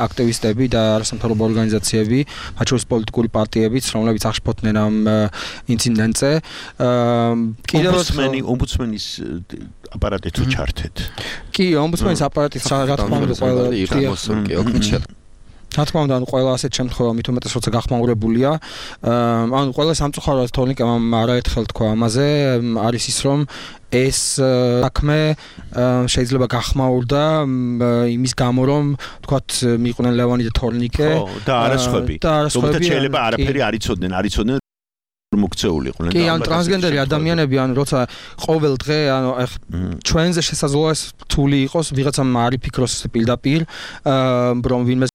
Speaker 6: აქტივისტები და არასამთავრობო ორგანიზაციები, მათ შორის პოლიტიკური პარტიებიც, რომლებიც აღშფოთდნენ ამ ინციდენტზე. კიდევ
Speaker 4: ომბუდსმენი, ომბუდსმენის აპარატით თუ ჩართეთ.
Speaker 6: კი, ომბუდსმენის აპარატით რა თქმა უნდა ყველა
Speaker 5: კი, ოქნეჩა
Speaker 6: რა თქმა უნდა, ანუ ყველა ასეთ შემთხვევა მით უმეტეს როცა გახმაურებულია, ანუ ყველა სამწუხაროდ თორნიკამ არაერთხელ თქვა ამაზე, არის ის რომ ეს საქმე შეიძლება გახმაურდა იმის გამო რომ თქვათ მიყვნენ ლევანი და თორნიკე
Speaker 4: და არასხვები. თუმცა შეიძლება არაფერი არ იცოდნენ, არ იცოდნენ მოქცეულიყვნენ.
Speaker 6: კი, ან ტრანსგენდერი ადამიანები, ანუ როცა ყოველ დღე, ანუ ჩვენზე შესაძლოა ეს რთული იყოს, ვიღაცამ არ იფიქროს პირდაპირ, რომ ვინმე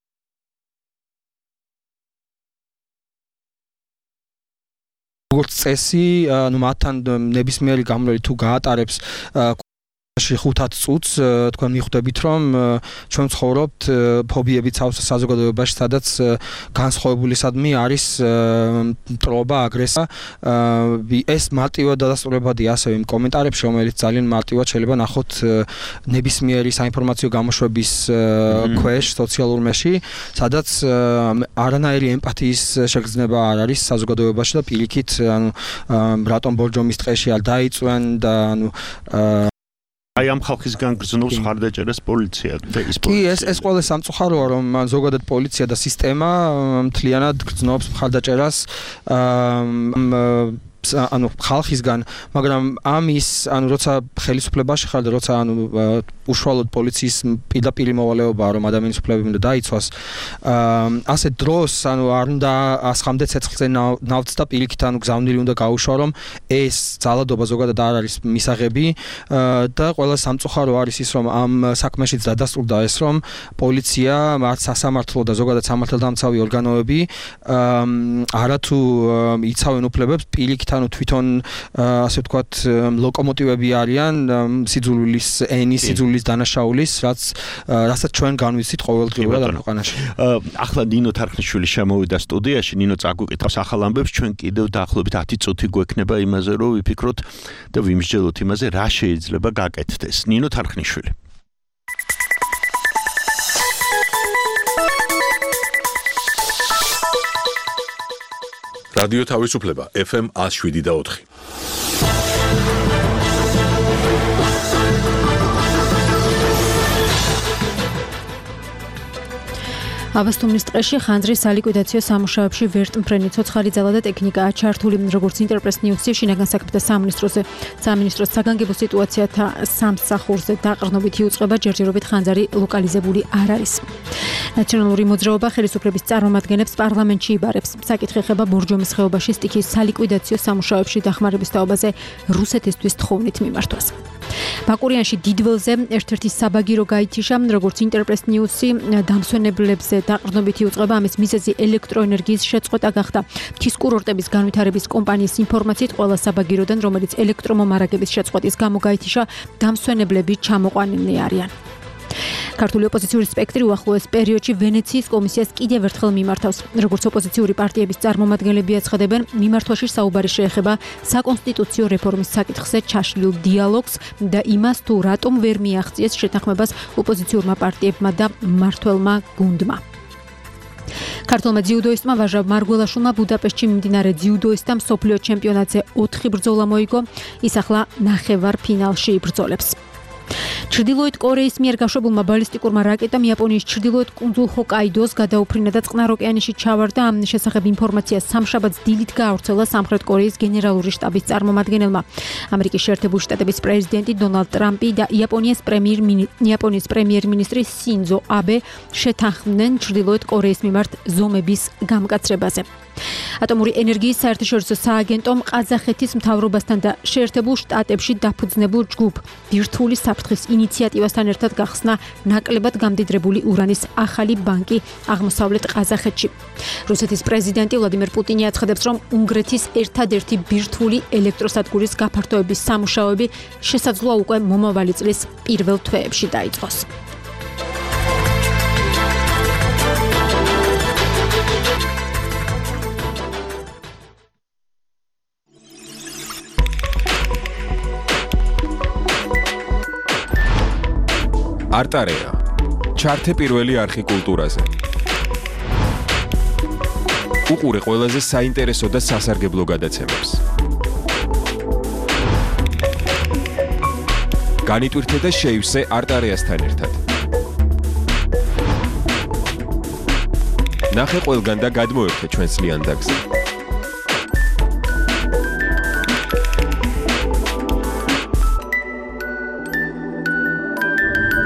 Speaker 6: როგორც წესი, ანუ მათთან ნებისმიერი გამრავლი თუ გაატარებს ხუთად წუთს, თქვენ მიხვდებით რომ ჩვენ ცხოვრობთ ფობიებით საზოგადოებაში, სადაც განსხვავებულისადმი არის მტრობა, აგრესია. ეს მარტივად დადასტურებადია ასევე იმ კომენტარებში, რომელიც ძალიან მარტივად შეიძლება ნახოთ ნებისმიერი საინფორმაციო გამოშვების ქვეშ სოციალურ მედიაში, სადაც არანაირი ემპათიის შეგრძნება არ არის საზოგადოებაში და პირიქით, ანუ რატომ ბორჯომის ტყეში არ დაიწვენ და ანუ
Speaker 4: აი ამ ხალხისგან გრძნობს მხარდაჭერას პოლიცია და ის
Speaker 6: პოლიცია. კი, ეს ეს ყველა სამწუხაროა, რომ ზოგადად პოლიცია და სისტემა მთლიანად გრძნობს მხარდაჭერას ანუ ხალხისგან, მაგრამ ამის, ანუ როცა ხელისუფლებაში ხარ და როცა ანუ უშუალოდ პოლიციის პირდაპირ მოვალეობაა, რომ ადამიანის უფლებები უნდა დაიცვას, ასე დროს, ანუ არ უნდა ასხამდე ცეცხლზე ნავთს და პირიქით, ანუ გზავნილი უნდა გაუშვა, რომ ეს ძალადობა ზოგადად არ არის მისაღები და ყველა სამწუხარო არის ის, რომ ამ საქმეშიც დადასტურდა ეს, რომ პოლიცია, მათ სასამართლო და ზოგადად სამართალდამცავი ორგანოები არათუ იცავენ უფლებებს, პირიქით ანუ თვითონ ასე ვთქვათ ლოკომოტივები არიან სიძულვილის ენის, სიძულვილის დანაშაულის, რაც რასაც ჩვენ განვიცით ყოველდღიურად ამ ქვეყანაში.
Speaker 4: ახლა ნინო თარხნიშვილი შემოვიდა სტუდიაში, ნინო წაგვიკითხავს ახალ ამბებს, ჩვენ კიდევ დაახლოებით ათი წუთი გვექნება იმაზე, რომ ვიფიქროთ და ვიმსჯელოთ იმაზე, რა შეიძლება გაკეთდეს. ნინო თარხნიშვილი.
Speaker 1: რადიო თავისუფლება ეფ ემ one oh seven და four.
Speaker 7: აბასთუმნის ტყეში ხანძრის სალიკვიდაციო სამუშაოებში ვერტმფრენი ცოცხალი ძალა და ტექნიკაა ჩართული, როგორც ინტერპრეს ნიუსი შინაგან საქმეთა სამინისტროზე. სამინისტროს საგანგებო სიტუაციათა სამსახურზე დაყრდნობითი უწყება ჯერჯერობით ხანძარი ლოკალიზებული არ არის. ნაციონალური მოძრაობა ხელისუფლების წარმომადგენლებს პარლამენტში იბარებს. საკითხი ეხება ბორჯომის ხეობაში სტიქის სალიკვიდაციო სამუშაოებში დახმარების თაობაზე რუსეთისთვის თხოვნით მიმართვას. ბაკურიანში დიდველზე ერთ-ერთი საბაგირო გაითიშა, როგორც ინტერპრეს ნიუსი დამსვენებლებზე დაყრდნობითი უწყება, ამის მიზეზი ელექტროენერგიის შეწყვეტა გახდა. მთის კურორტების განვითარების კომპანიის ინფორმაციით, ყველა საბაგიროდან, რომელიც ელექტრომომარაგების შეწყვეტის გამო გაითიშა, დამსვენებლები ჩამოყვანილნი არიან. ქართული ოპოზიციური სპექტრი უახლოეს პერიოდში ვენეციის კომისიას კიდევ ერთხელ მიმართავს. როგორც ოპოზიციური პარტიების წარმომადგენლები აცხადებენ, მიმართვაში საუბარი შეეხება საკონსტიტუციო რეფორმის საკითხზე ჩაშლილ დიალოგს და იმას, თუ რატომ ვერ მიაღწიეს შეთანხმებას ოპოზიციურმა პარტიებმა და მმართველმა გუნდმა. ქართულმა ძიუდოისტმა ვაჟა მარგველაშვილმა ბუდაპეშტში მიმდინარე ძიუდოისტთა მსოფლიო ჩემპიონატზე ოთხი ბრძოლა მოიგო, ის ახლა ნახევარფინალში იბრძოლებს. ჩრდილოეთ კორეის მიერ გაშვებულმა ბალისტიკურმა რაკეტამ იაპონიის ჩრდილოეთ კუნძულ ჰოკაიდოს გადაუფრინა და წყნარ ოკეანეში ჩავარდა. ამ შესახებ ინფორმაცია სამშაბათს დილით გაავრცელა სამხრეთ კორეის გენერალური შტაბის წარმომადგენელმა. ამერიკის შეერთებული შტატების პრეზიდენტი დონალდ ტრამპი და იაპონიის პრემიერ-მინისტრი იაპონიის პრემიერ-მინისტრი სინძო აბე შეთანხმდნენ ჩრდილოეთ კორეის მიმართ ზომების გამკაცრებაზე. ატომური ენერგიის საერთაშორისო სააგენტომ ყაზახეთის მთავრობასთან და შეერთებულ შტატებში დაფუძნებულ ჯგუფ ბირთვული საფრთხის ინიციატივასთან ერთად გახსნა ნაკლებად გამდიდრებული ურანის ახალი ბანკი აღმოსავლეთ ყაზახეთში. რუსეთის პრეზიდენტი ვლადიმერ პუტინი აცხადებს, რომ უნგრეთის ერთადერთი ბირთვული ელექტროსადგურის გაფართოების სამუშაოები შესაძლოა უკვე მომავალი წლის პირველ თვეებში დაიწყოს.
Speaker 8: არტარეა. ჩართე პირველი არხი კულტურაზე. უყურე ყველაზე საინტერესო და სასარგებლო გადაცემებს. განიტვირთე და შეივსე არტარეასთან ერთად. ნახე ყველგან და გადმოერთე ჩვენს ლიანდაგზე.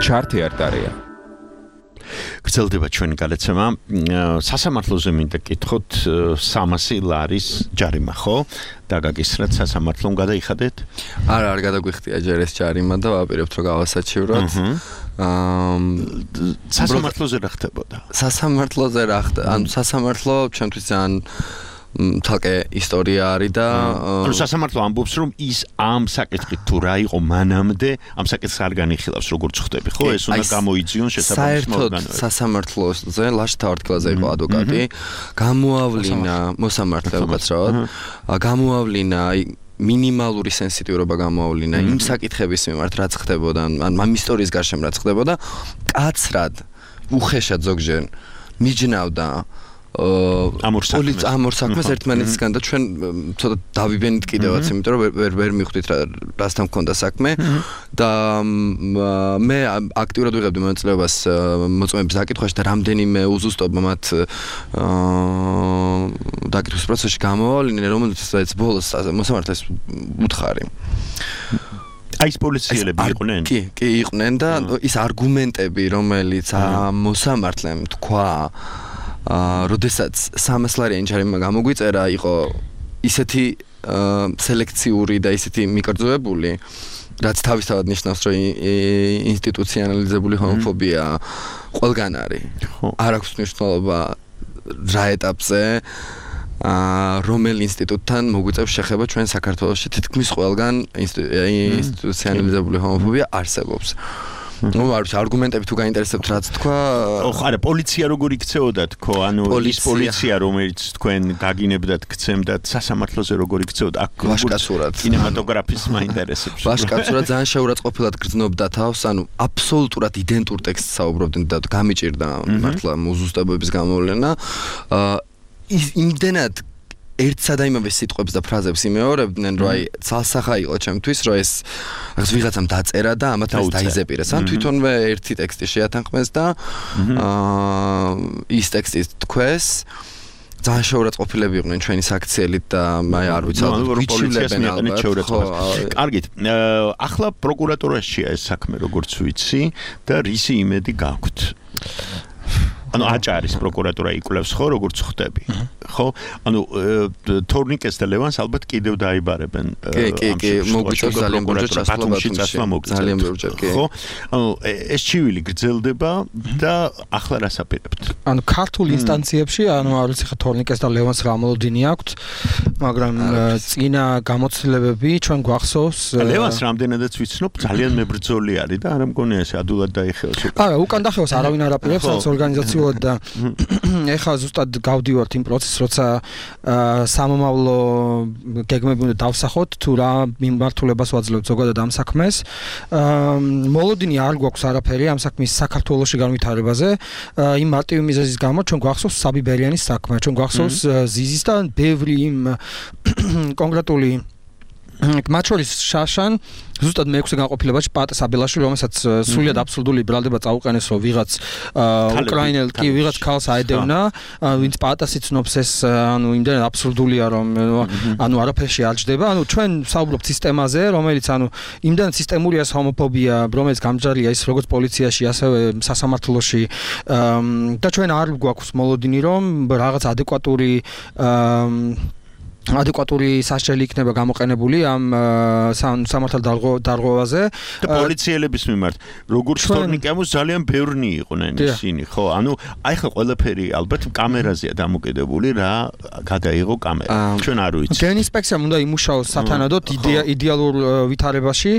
Speaker 8: ჩართე არტარეა.
Speaker 4: გრძელდება ჩვენი გადაცემა. სასამართლოზე მინდა გითხოთ სამასი ლარის ჯარიმა, ხო? დაგაგისრათ სასამართლომ გადაიხადეთ?
Speaker 5: არა, არ გადაგვიხდია ჯერ ეს ჯარიმა და ვაპირებთ რომ გავასაჩივროთ. აა
Speaker 4: სასამართლოზე რა ხდებოდა?
Speaker 5: სასამართლოზე რა ხდება? ანუ სასამართლო ჩემთვის ძალიან თალკე ისტორია არის და
Speaker 4: ანუ სასამართლო ამბობს რომ ის ამ საკითხით თუ რა იყო მანამდე ამ საკითხს არ განიხილავს როგორც ხვდები ხო ეს უნდა გამოიძიონ შესაბამის ორგანოები
Speaker 5: საერთოდ სასამართლოზე ლაშთა ვარტკილაძე იყო ადვოკატი გამოავლინა მოსამართლე უკაცრავად გამოავლინა მინიმალური სენსიტიურობა გამოავლინა იმ საკითხების მიმართ რაც ხდებოდა ან ამ ისტორიის გარშემო რაც ხდებოდა კაცრად უხეშად ზოგჯერ მიჯნავდა
Speaker 4: ამორ საქმეს
Speaker 5: ამორ საქმეს ერთმანეთისგან და ჩვენ ცოტა დავიბენით კიდევაც იმიტომ რომ ვერ ვერ მიხვდით რა რასთან მქონდა საქმე და მე აქტიურად ვიღებდი მონაწილეობას მოწმეების დაკითხვაში და რამდენიმე უზუსტობა მათ დაკითხვის პროცესში გამოვავლინე რომელსაც ბოლოს მოსამართლეს უთხარი
Speaker 4: აი ეს პოლიციელები იყვნენ
Speaker 5: კი კი იყვნენ და ის არგუმენტები რომელიც მოსამართლემ თქვა აა, როდესაც სამას ლარიანი ჯარიმა გამოგვიწერა, იყო ისეთი სელექციური და ისეთი მიკერძოებული, რაც თავისთავად ნიშნავს, რომ ინსტიტუციონალიზებული ჰომოფობია ყველგან არის. არ აქვს მნიშვნელობა რა ეტაპზე, აა, რომელ ინსტიტუტთან მოგვიწევს შეხება ჩვენ საქართველოში თითქმის ყველგან ინსტიტუციონალიზებული ჰომოფობია არსებობს. ნუ არ ვიცი არგუმენტები თუ გაინტერესებთ რაც თქვა
Speaker 4: ოხ არა პოლიცია როგორ იქცეოდა თქო ანუ ის პოლიცია რომელიც თქვენ გაგინებდათ გცემდათ სასამართლოზე როგორ იქცეოდა აქ
Speaker 5: ვაშკაცურად
Speaker 4: კინემატოგრაფის მაინტერესებს
Speaker 5: ვაშკაცურად ძალიან შეურაცხყოფილად გრძნობდა თავს ანუ აბსოლუტურად იდენტურ ტექსტს საუბრობდნენ და გამიჭირდა მართლა უზუსტებების გამოვლენა ის იმდენად ერთსა და იმავე სიტყვებს და ფრაზებს იმეორებდნენ, რომ აი ცალსახა იყო ჩემთვის, რომ ეს რაღაც ვიღაცამ დაწერა და ამათ ეს დაიზეპირეს. ან თვითონვე ერთი ტექსტი შეათანხმეს და აა ის ტექსტი თქვეს. ძალიან შეურაცხყოფილები იყვნენ ჩვენი საქციელით და აი არ ვიცი,
Speaker 4: ვიცილებენ ალბათ. კარგით. ახლა პროკურატურაშია ეს საქმე, როგორც ვიცი და რისი იმედი გაქვთ? ანუ აჭარის პროკურატურა იკვლევს ხო როგორც ხვდები ხო ანუ თორნიკეს და ლევანს ალბათ კიდევ დაიბარებენ
Speaker 5: კი კი კი მოგვიწევს ძალიან
Speaker 4: პროკურატურაში ძალიან ბევრჯერ კი ხო ანუ ეს ჩივილი გრძელდება და ახლა რას აპირებთ
Speaker 6: ანუ ქართულ ინსტანციებში ანუ არ ვიცი ხა თორნიკეს და ლევანს რა მოლოდინი აქვთ მაგრამ წინა გამოცდილებები ჩვენ გვახსოვს
Speaker 4: ლევანს რამდენადაც ვიცნობ ძალიან მებრძოლი არის და არ მგონია ეს ადულად დაიხევს
Speaker 6: არა უკან დახევას არავინ არ აპირებს რაც ორგანიზაცია და ეხლა ზუსტად გავდივართ იმ პროცესს, როცა სამომავლო გეგმები უნდა დავსახოთ, თუ რა მიმართულებას ვაძლევთ ზოგადად ამ საქმეს. მოლოდინი არ გვაქვს არაფერი ამ საქმის საქართველოში განვითარებაზე. იმ მარტივი მიზეზის გამო ჩვენ გვახსოვს საბი ბერიანის საქმე, ჩვენ გვახსოვს ზიზის და ბევრი იმ კონკრეტული მათ შორის შაშან ზუსტად მეექვსე განყოფილებაში პატა საბელაშვილი, რომელსაც სრულიად აბსურდული ბრალდება წაუყენეს, რომ ვიღაც უკრაინელ კი ვიღაც ქალს აედევნა, ვინც პატას იცნობს, ეს ანუ იმდენად აბსურდულია, რომ ანუ არაფერში არ ჯდება. ანუ ჩვენ საუბრობთ სისტემაზე, რომელიც ანუ იმდენად სისტემურია ჰომოფობია, რომელიც გამჯარია ის როგორც პოლიციაში, ასევე სასამართლოში და ჩვენ არ გვაქვს მოლოდინი, რომ რაღაც ადეკვატური ადეკვატური სასჯელი იქნება გამოყენებული ამ სამართალ დარღვევაზე
Speaker 4: და პოლიციელების მიმართ როგორც თორნიკემოს ძალიან ბევრნი იყვნენ ისინი ხო ანუ აი ხა ყველაფერი ალბათ კამერაზეა დამოკიდებული რა გადაიღო კამერა ჩვენ არ ვიცით
Speaker 6: გენ ინსპექციამ უნდა იმუშაოს სათანადოდ იდეალურ ვითარებაში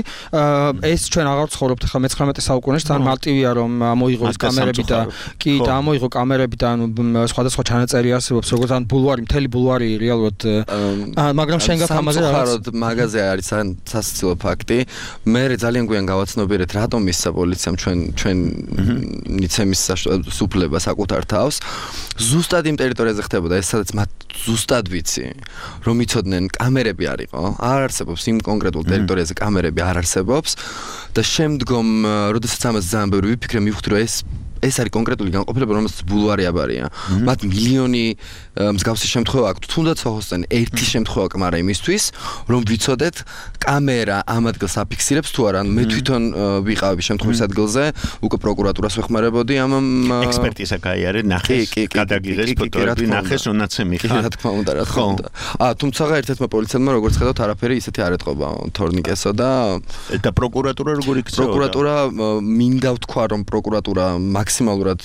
Speaker 6: ეს ჩვენ აღარ ცხოვრობთ ხა მეცხრამეტე საუკუნეში თან მარტივია რომ მოიღოს კამერები და კი და მოიღო კამერები და ანუ სხვადასხვა ჩანაწერი არსებობს როგორც ან ბულვარი მთელი ბულვარი რეალურად მაგრამ შენ გაქვს ამაზე
Speaker 5: რაღაც მაღაზია არის სასაცილო ფაქტი მე ძალიან გვიან გავაცნობიერეთ რატომ მისცა პოლიციამ ჩვენ ჩვენ ნიცემის სუფლება საკუთარ თავს ზუსტად იმ ტერიტორიაზე ხდებოდა ეს სადაც მათ ზუსტად ვიცი რომ იცოდნენ კამერები არისო არ არსებობს იმ კონკრეტულ ტერიტორიაზე კამერები არ არსებობს და შემდგომ როდესაც ამას ძალიან ბევრი ვიფიქრე მივხვდი რომ ეს ეს არის კონკრეტული განყოფილება, რომელსაც ბულვარი აბარია. მათ მილიონი მსგავსი შემთხვევა აქვს. თუნდაც ოხოსთან ერთი შემთხვევა კმარა იმისთვის, რომ ვიცოდეთ კამერა ამ ადგილს აფიქსირებს თუ არა. მე თვითონ ვიყავი შემთხვევის ადგილზე, უკვე პროკურატურას ვეხმარებოდი ამ
Speaker 4: ექსპერტიზა გაიარე, ნახეს, გადაგიღეს ფოტოები, ნახეს, რონაც ემიხარ.
Speaker 5: რა თქმა უნდა, რა თქმა უნდა. აა, თუმცა ერთ-ერთმა პოლიციელმა როგორც ხედავთ, არაფერი ისეთი არ ეთყობა თორნიკესო და
Speaker 4: და პროკურატურა როგორ იქცეოდა?
Speaker 5: პროკურატურა მინდა ვთქვა, რომ პროკურატურა მაქსიმალურად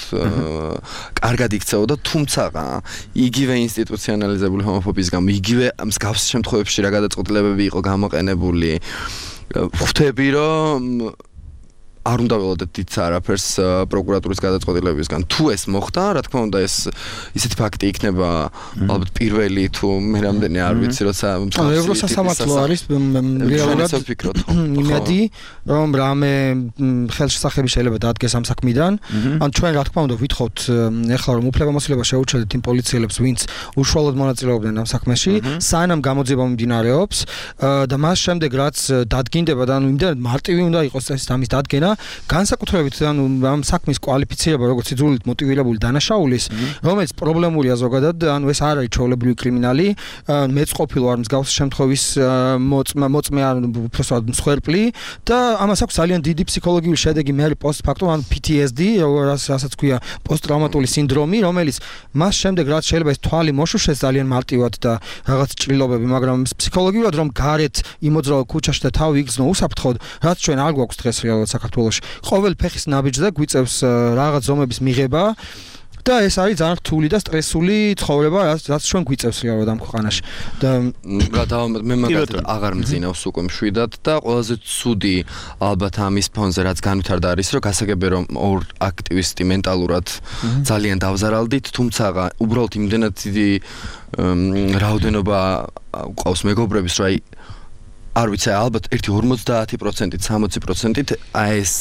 Speaker 5: კარგად იქცეოდა, თუმცა იგივე ინსტიტუციონალიზებული ჰომოფობიის გამო, იგივე მსგავს შემთხვევებში რა გადაწყვეტილებები იყო გამოყენებული. ვხვდები, რომ არ უნდა ველოდეთ დიდ არაფერს პროკურატურის გადაწყვეტილებებისგან. თუ ეს მოხდა, რა თქმა უნდა, ეს ისეთი ფაქტი იქნება ალბათ პირველი თუ მე რამდენი არ ვიცი, როცა
Speaker 6: ევროსასამართლო არის რეალურად იმედი, რომ რამე ხელშესახები შეიძლება დადგეს ამ საქმიდან. ან ჩვენ რა თქმა უნდა ვითხოვთ ეხლა რომ უფლებამოსილება შეუჩერდეთ იმ პოლიციელებს, ვინც უშუალოდ მონაწილეობდნენ ამ საქმეში, სანამ გამოძიება მიმდინარეობს და მას შემდეგ რაც დადგინდება და ანუ იმდენად მარტივი უნდა იყოს ეს ამის დადგენა განსაკუთრებით ანუ ამ საქმის კვალიფიცირება როგორც იძულით მოტივირებული დანაშაულის რომელიც პრობლემურია ზოგადად ანუ ეს არ არის ჩვეულებრივი კრიმინალი მეც ყოფილი ვარ მსგავსი შემთხვევის მოწმე ან უბრალოდ მსხვერპლი და ამას აქვს ძალიან დიდი ფსიქოლოგიური შედეგი მე არის პოსტფაქტუმ ან P T S D რასაც ქვია პოსტტრაუმატული სინდრომი რომელიც მას შემდეგ რაც შეიძლება ეს თვალი მოშუშეს ძალიან მარტივად და რაღაც ჭრილობები მაგრამ ფსიქოლოგიურად რომ გარეთ იმოძრავო ქუჩაში და თავი იგრძნო უსაფრთხოდ რაც ჩვენ არ გვაქვს დღეს რეალურად საქართველოში ყოველ ფეხის ნაბიჯზე გვიწევს რაღაც ზომების მიღება და ეს არის ძალიან რთული და სტრესული ცხოვრება რაც ჩვენ გვიწევს რეალურად ამ ქვეყანაში და
Speaker 5: მე მაგათ აღარ მძინავს უკვე მშვიდად და ყველაზე ცუდი ალბათ ამის ფონზე რაც განვითარდა არის რომ გასაგებია რომ ორ აქტივისტი მენტალურად ძალიან დავზარალდით თუმცა უბრალოდ იმდენად დიდი რაოდენობა ყავს მეგობრების რომ აი არ ვიცი ალბათ ერთი ორმოცდაათი პროცენტით სამოცი პროცენტით აი ეს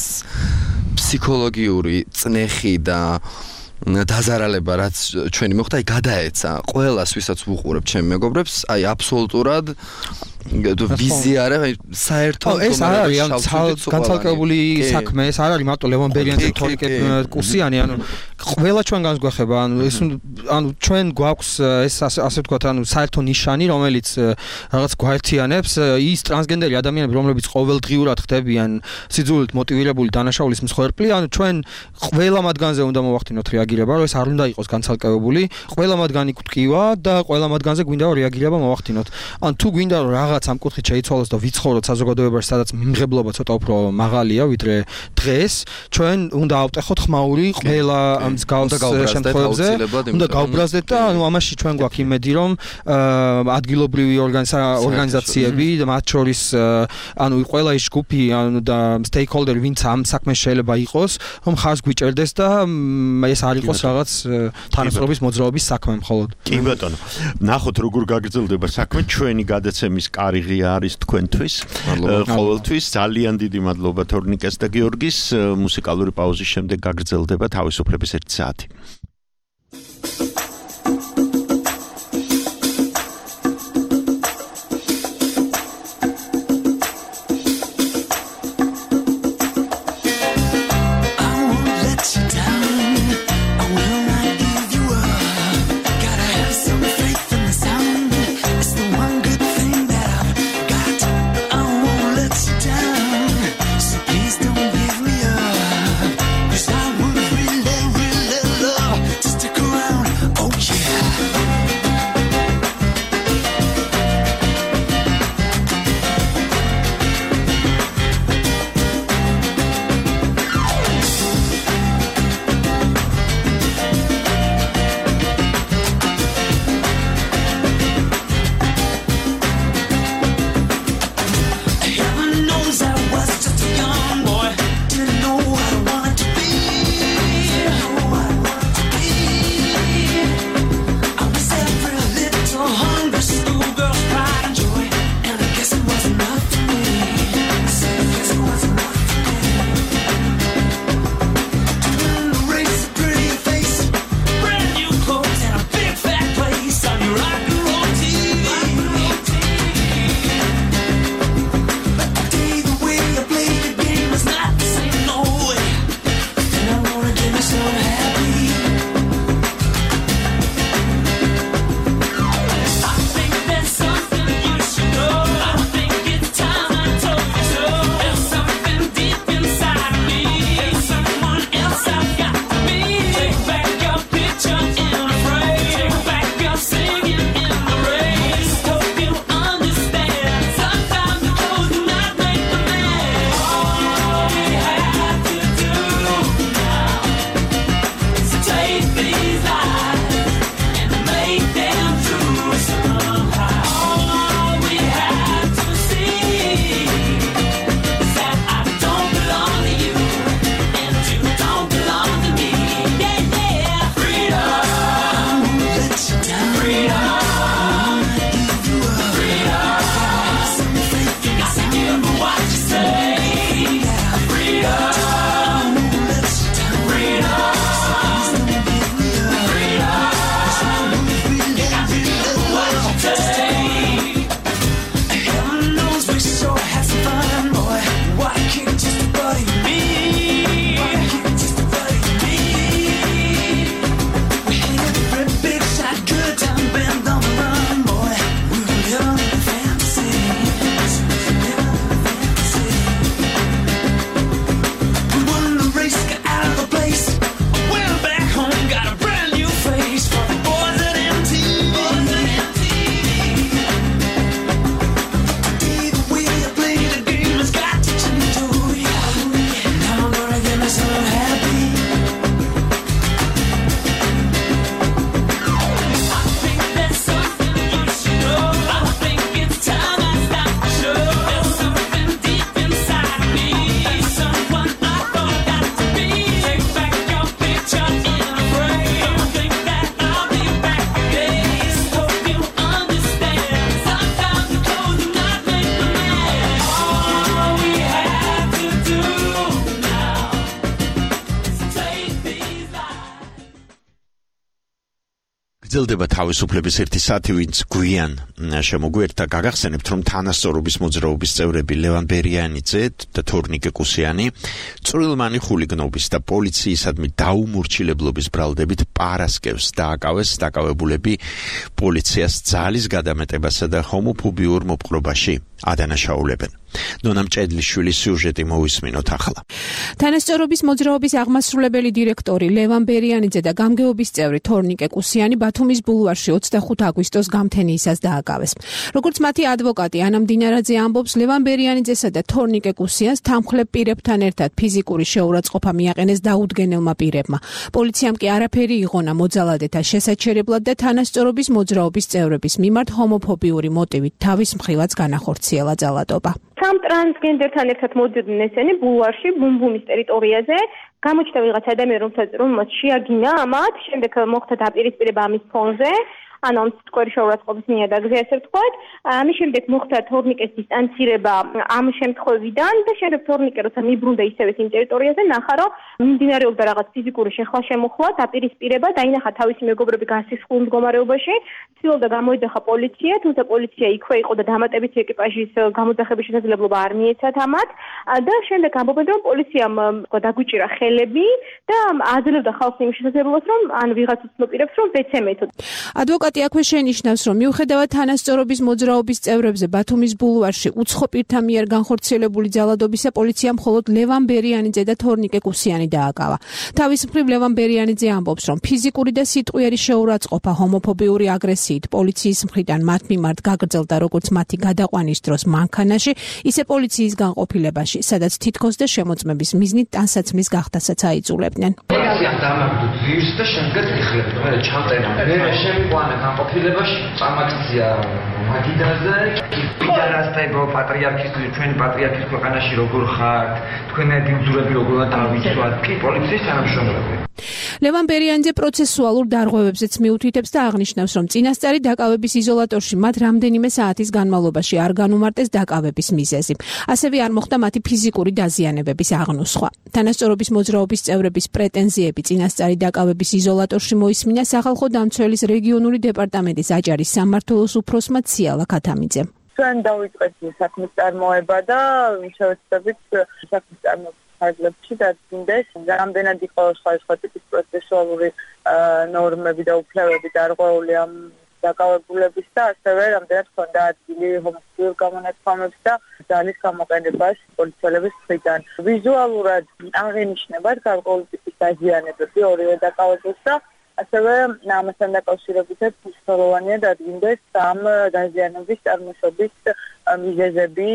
Speaker 5: ფსიქოლოგიური წნეხი და დაზარალება რაც ჩვენი მოხდა აი გადაეცა ყველას ვისაც ვუყურებ ჩემ მეგობრებს აი აბსოლუტურად ვიზია რა საერთოდ
Speaker 6: ეს არ არის ამ განცალკევებული საქმე ეს არ არის მარტო ლევონ ბერიანზე თორიკე კურსიანი ანუ ყველა ჩვენგანს გვეხება ანუ ეს ანუ ჩვენ გვაქვს ეს ასე ვთქვათ ანუ საერთო ნიშანი რომელიც რაღაც გვაერთიანებს ის ტრანსგენდერი ადამიანები რომლებიც ყოველდღიურად ხდებიან სიძულით მოტივირებული დანაშაულის მსხვერპლი ანუ ჩვენ ყველა მათგანზე უნდა მოვახდინოთ რეაგირება რომ ეს არ უნდა იყოს განცალკევებული ყველა მათგანი გვტკივა და ყველა მათგანზე გვინდა რომ რეაგირება მოვახდინოთ ან თუ გვინდა რომ რაღაც ამ კუთხით შეიცვალოს და ვიცხოვროთ საზოგადოებაში, სადაც მიმღებლობა ცოტა უფრო მაღალია, ვიდრე დღეს, ჩვენ უნდა ავტეხოთ ხმაური ყველა მსგავს შემთხვევებზე, უნდა გავბრაზდეთ და ანუ ამაში ჩვენ გვაქვს იმედი, რომ ადგილობრივი ორგანიზაციები და მათ შორის ანუ ყველა ის ჯგუფი ანუ და stakeholder ვინც ამ საქმეს შეიძლება იყოს, რომ ხარს გვიჭერდეს და ეს არ იყოს რაღაც თანასწორობის მოძრაობის საქმე მხოლოდ.
Speaker 4: კი ბატონო. ნახოთ როგორ გაგრძელდება საქმე ჩვენი გადაცემის კარგი არის თქვენთვის. ყოველთვის ძალიან დიდი მადლობა თორნიკეს და გიორგის. მუსიკალური პაუზის შემდეგ გაგრძელდება თავისუფლების ერთი საათი. გრძელდება თავისუფლების ერთი საათი, ვინც გვიან შემოგვიერთდა, გაგახსენებთ, რომ თანასწორობის მოძრაობის წევრები ლევან ბერიანიძე და თორნიკე კუსიანი წვრილმანი ხულიგნობის და პოლიციისადმი დაუმორჩილებლობის ბრალდებით პარასკევს დააკავეს. დაკავებულები პოლიციას ძალის გადამეტებასა და ჰომოფობიურ მოპყრობაში ადანაშაულებენ. ნონა მჭედლიშვილის სიუჟეტი მოვისმინოთ ახლა.
Speaker 7: თანასწორობის მოძრაობის აღმასრულებელი დირექტორი ლევან ბერიანიძე და გამგეობის წევრი თორნიკე კუსიანი ბათუმის ბულვარში ოცდახუთი აგვისტოს გამთენიისას დააკავეს. როგორც მათი ადვოკატი ანა მდინარაძე ამბობს, ლევან ბერიანიძესა და თორნიკე კუსიანს თანმხლებ პირებთან ერთად ფიზიკური შეურაცხყოფა მიაყენეს დაუდგენელმა პირებმა. პოლიციამ კი არაფერი იღონა მოძალადეთა შესაჩერებლად და თანასწორობის მოძრაობის წევრების მიმართ ჰომოფობიური მოტივით თავის მხრივაც განახორციელა ძალადობა.
Speaker 9: სამ ტრანსგენდერთან ერთად მოდიოდნენ ესენი ბულვარში, ბუმბუმის ტერიტორიაზე. გამოჩნდა ვიღაც ადამიანი, რომელსაც შეაგინა ამათ, შემდეგ მოხდა დაპირისპირება ამის ფონზე. ანუ ამ სიტყვერი შეურაცხყოფის ნიადაგზე, ასე ვთქვათ. ამის შემდეგ მოხდა თორნიკეს დისტანცირება ამ შემთხვევიდან და შემდეგ თორნიკე როცა მიბრუნდა ისევე იმ ტერიტორიაზე, ნახა რომ მიმდინარეობდა რაღაც ფიზიკური შეხლა შემოხლა, დაპირისპირება, დაინახა თავისი მეგობრები გასისხლულ მდგომარეობაში, ცდილობდა გამოიძახა პოლიცია, თუმცა პოლიცია იქვე იყო და დამატებითი ეკიპაჟის გამოძახების შესაძლებლობა არ მიეცათ ამათ და შემდეგ ამბობენ რომ პოლიციამ დაგვიჭირა ხელები და აძლევდა ხალხს იმ შესაძლებლობას რომ ან ვიღაც უცნობ რომ ვეცემეთო.
Speaker 7: ადვოკატი აქვე შენიშნავს, რომ მიუხედავად თანასწორობის მოძრაობის წევრებზე ბათუმის ბულვარში უცხო პირთა მიერ განხორციელებული ძალადობისა, პოლიციამ მხოლოდ ლევან ბერიანიძე და თორნიკე კუსიანი დააკავა. თავის მხრივ ლევან ბერიანიძე ამბობს, რომ ფიზიკური და სიტყვიერი შეურაცხყოფა ჰომოფობიური აგრესიით პოლიციის მხრიდან მათ მიმართ გაგრძელდა როგორც მათი გადაყვანის დროს მანქანაში, ისე პოლიციის განყოფილებაში, სადაც თითქოს და შემოწმების მიზნით ტანსაცმლის გახდასაც აიძულებდნენ.
Speaker 10: პოლიციამ დამაგდო ძირს და შემდეგ იხლებდა. მე ჩამწერა. მე შემიყვანა განყოფილებაში, წამაგზია მაგიდაზე. პიარასტებო პატრიარქის, ჩვენი პატრიარქის ქვეყანაში როგორ ხართ? თქვენები უძურები როგორ დავიცვათ? კი პოლიციის თანამშრომლები.
Speaker 7: ლევან ბერიანიძე პროცესუალურ დარღვევებზეც მიუთითებს და აღნიშნავს, რომ წინასწარი დაკავების იზოლატორში მათ რამდენიმე საათის განმავლობაში არ განუმარტეს დაკავების მიზეზი. ასევე არ მოხდა მათი ფიზიკური დაზიანებების აღნუსხვა. თანასწორობის მოძრაობის წევრების პრეტენზიები წინასწარი დაკავების იზოლატორში მოისმინა სახალხო დამცველის რეგიონული დეპარტამენტის აჭარის სამმართველოს უფროსმა ციალა ქათამიძემ.
Speaker 11: ჩვენ დავიწყეთ საქმის წარმოება და შევეცდებით საქმის წარმოება ფარგლებში დადგინდეს. რამდენად იყო სხვადასხვა ტიპის პროცესუალური ნორმები და უფლებები დარღვეული ამ დაკავებულების და ასევე რამდენად ჰქონდა ადგილი ჰომოფობიურ გამონათქვამებს და ძალის გამოყენებას პოლიციელების მხრიდან. ვიზუალურად აღენიშნებათ გარკვეული ტიპის დაზიანებები ორივე დაკავებულს და ასევე ამასთან დაკავშირებითაც მნიშვნელოვანია დადგინდეს ამ დაზიანების წარმოშობის მიზეზები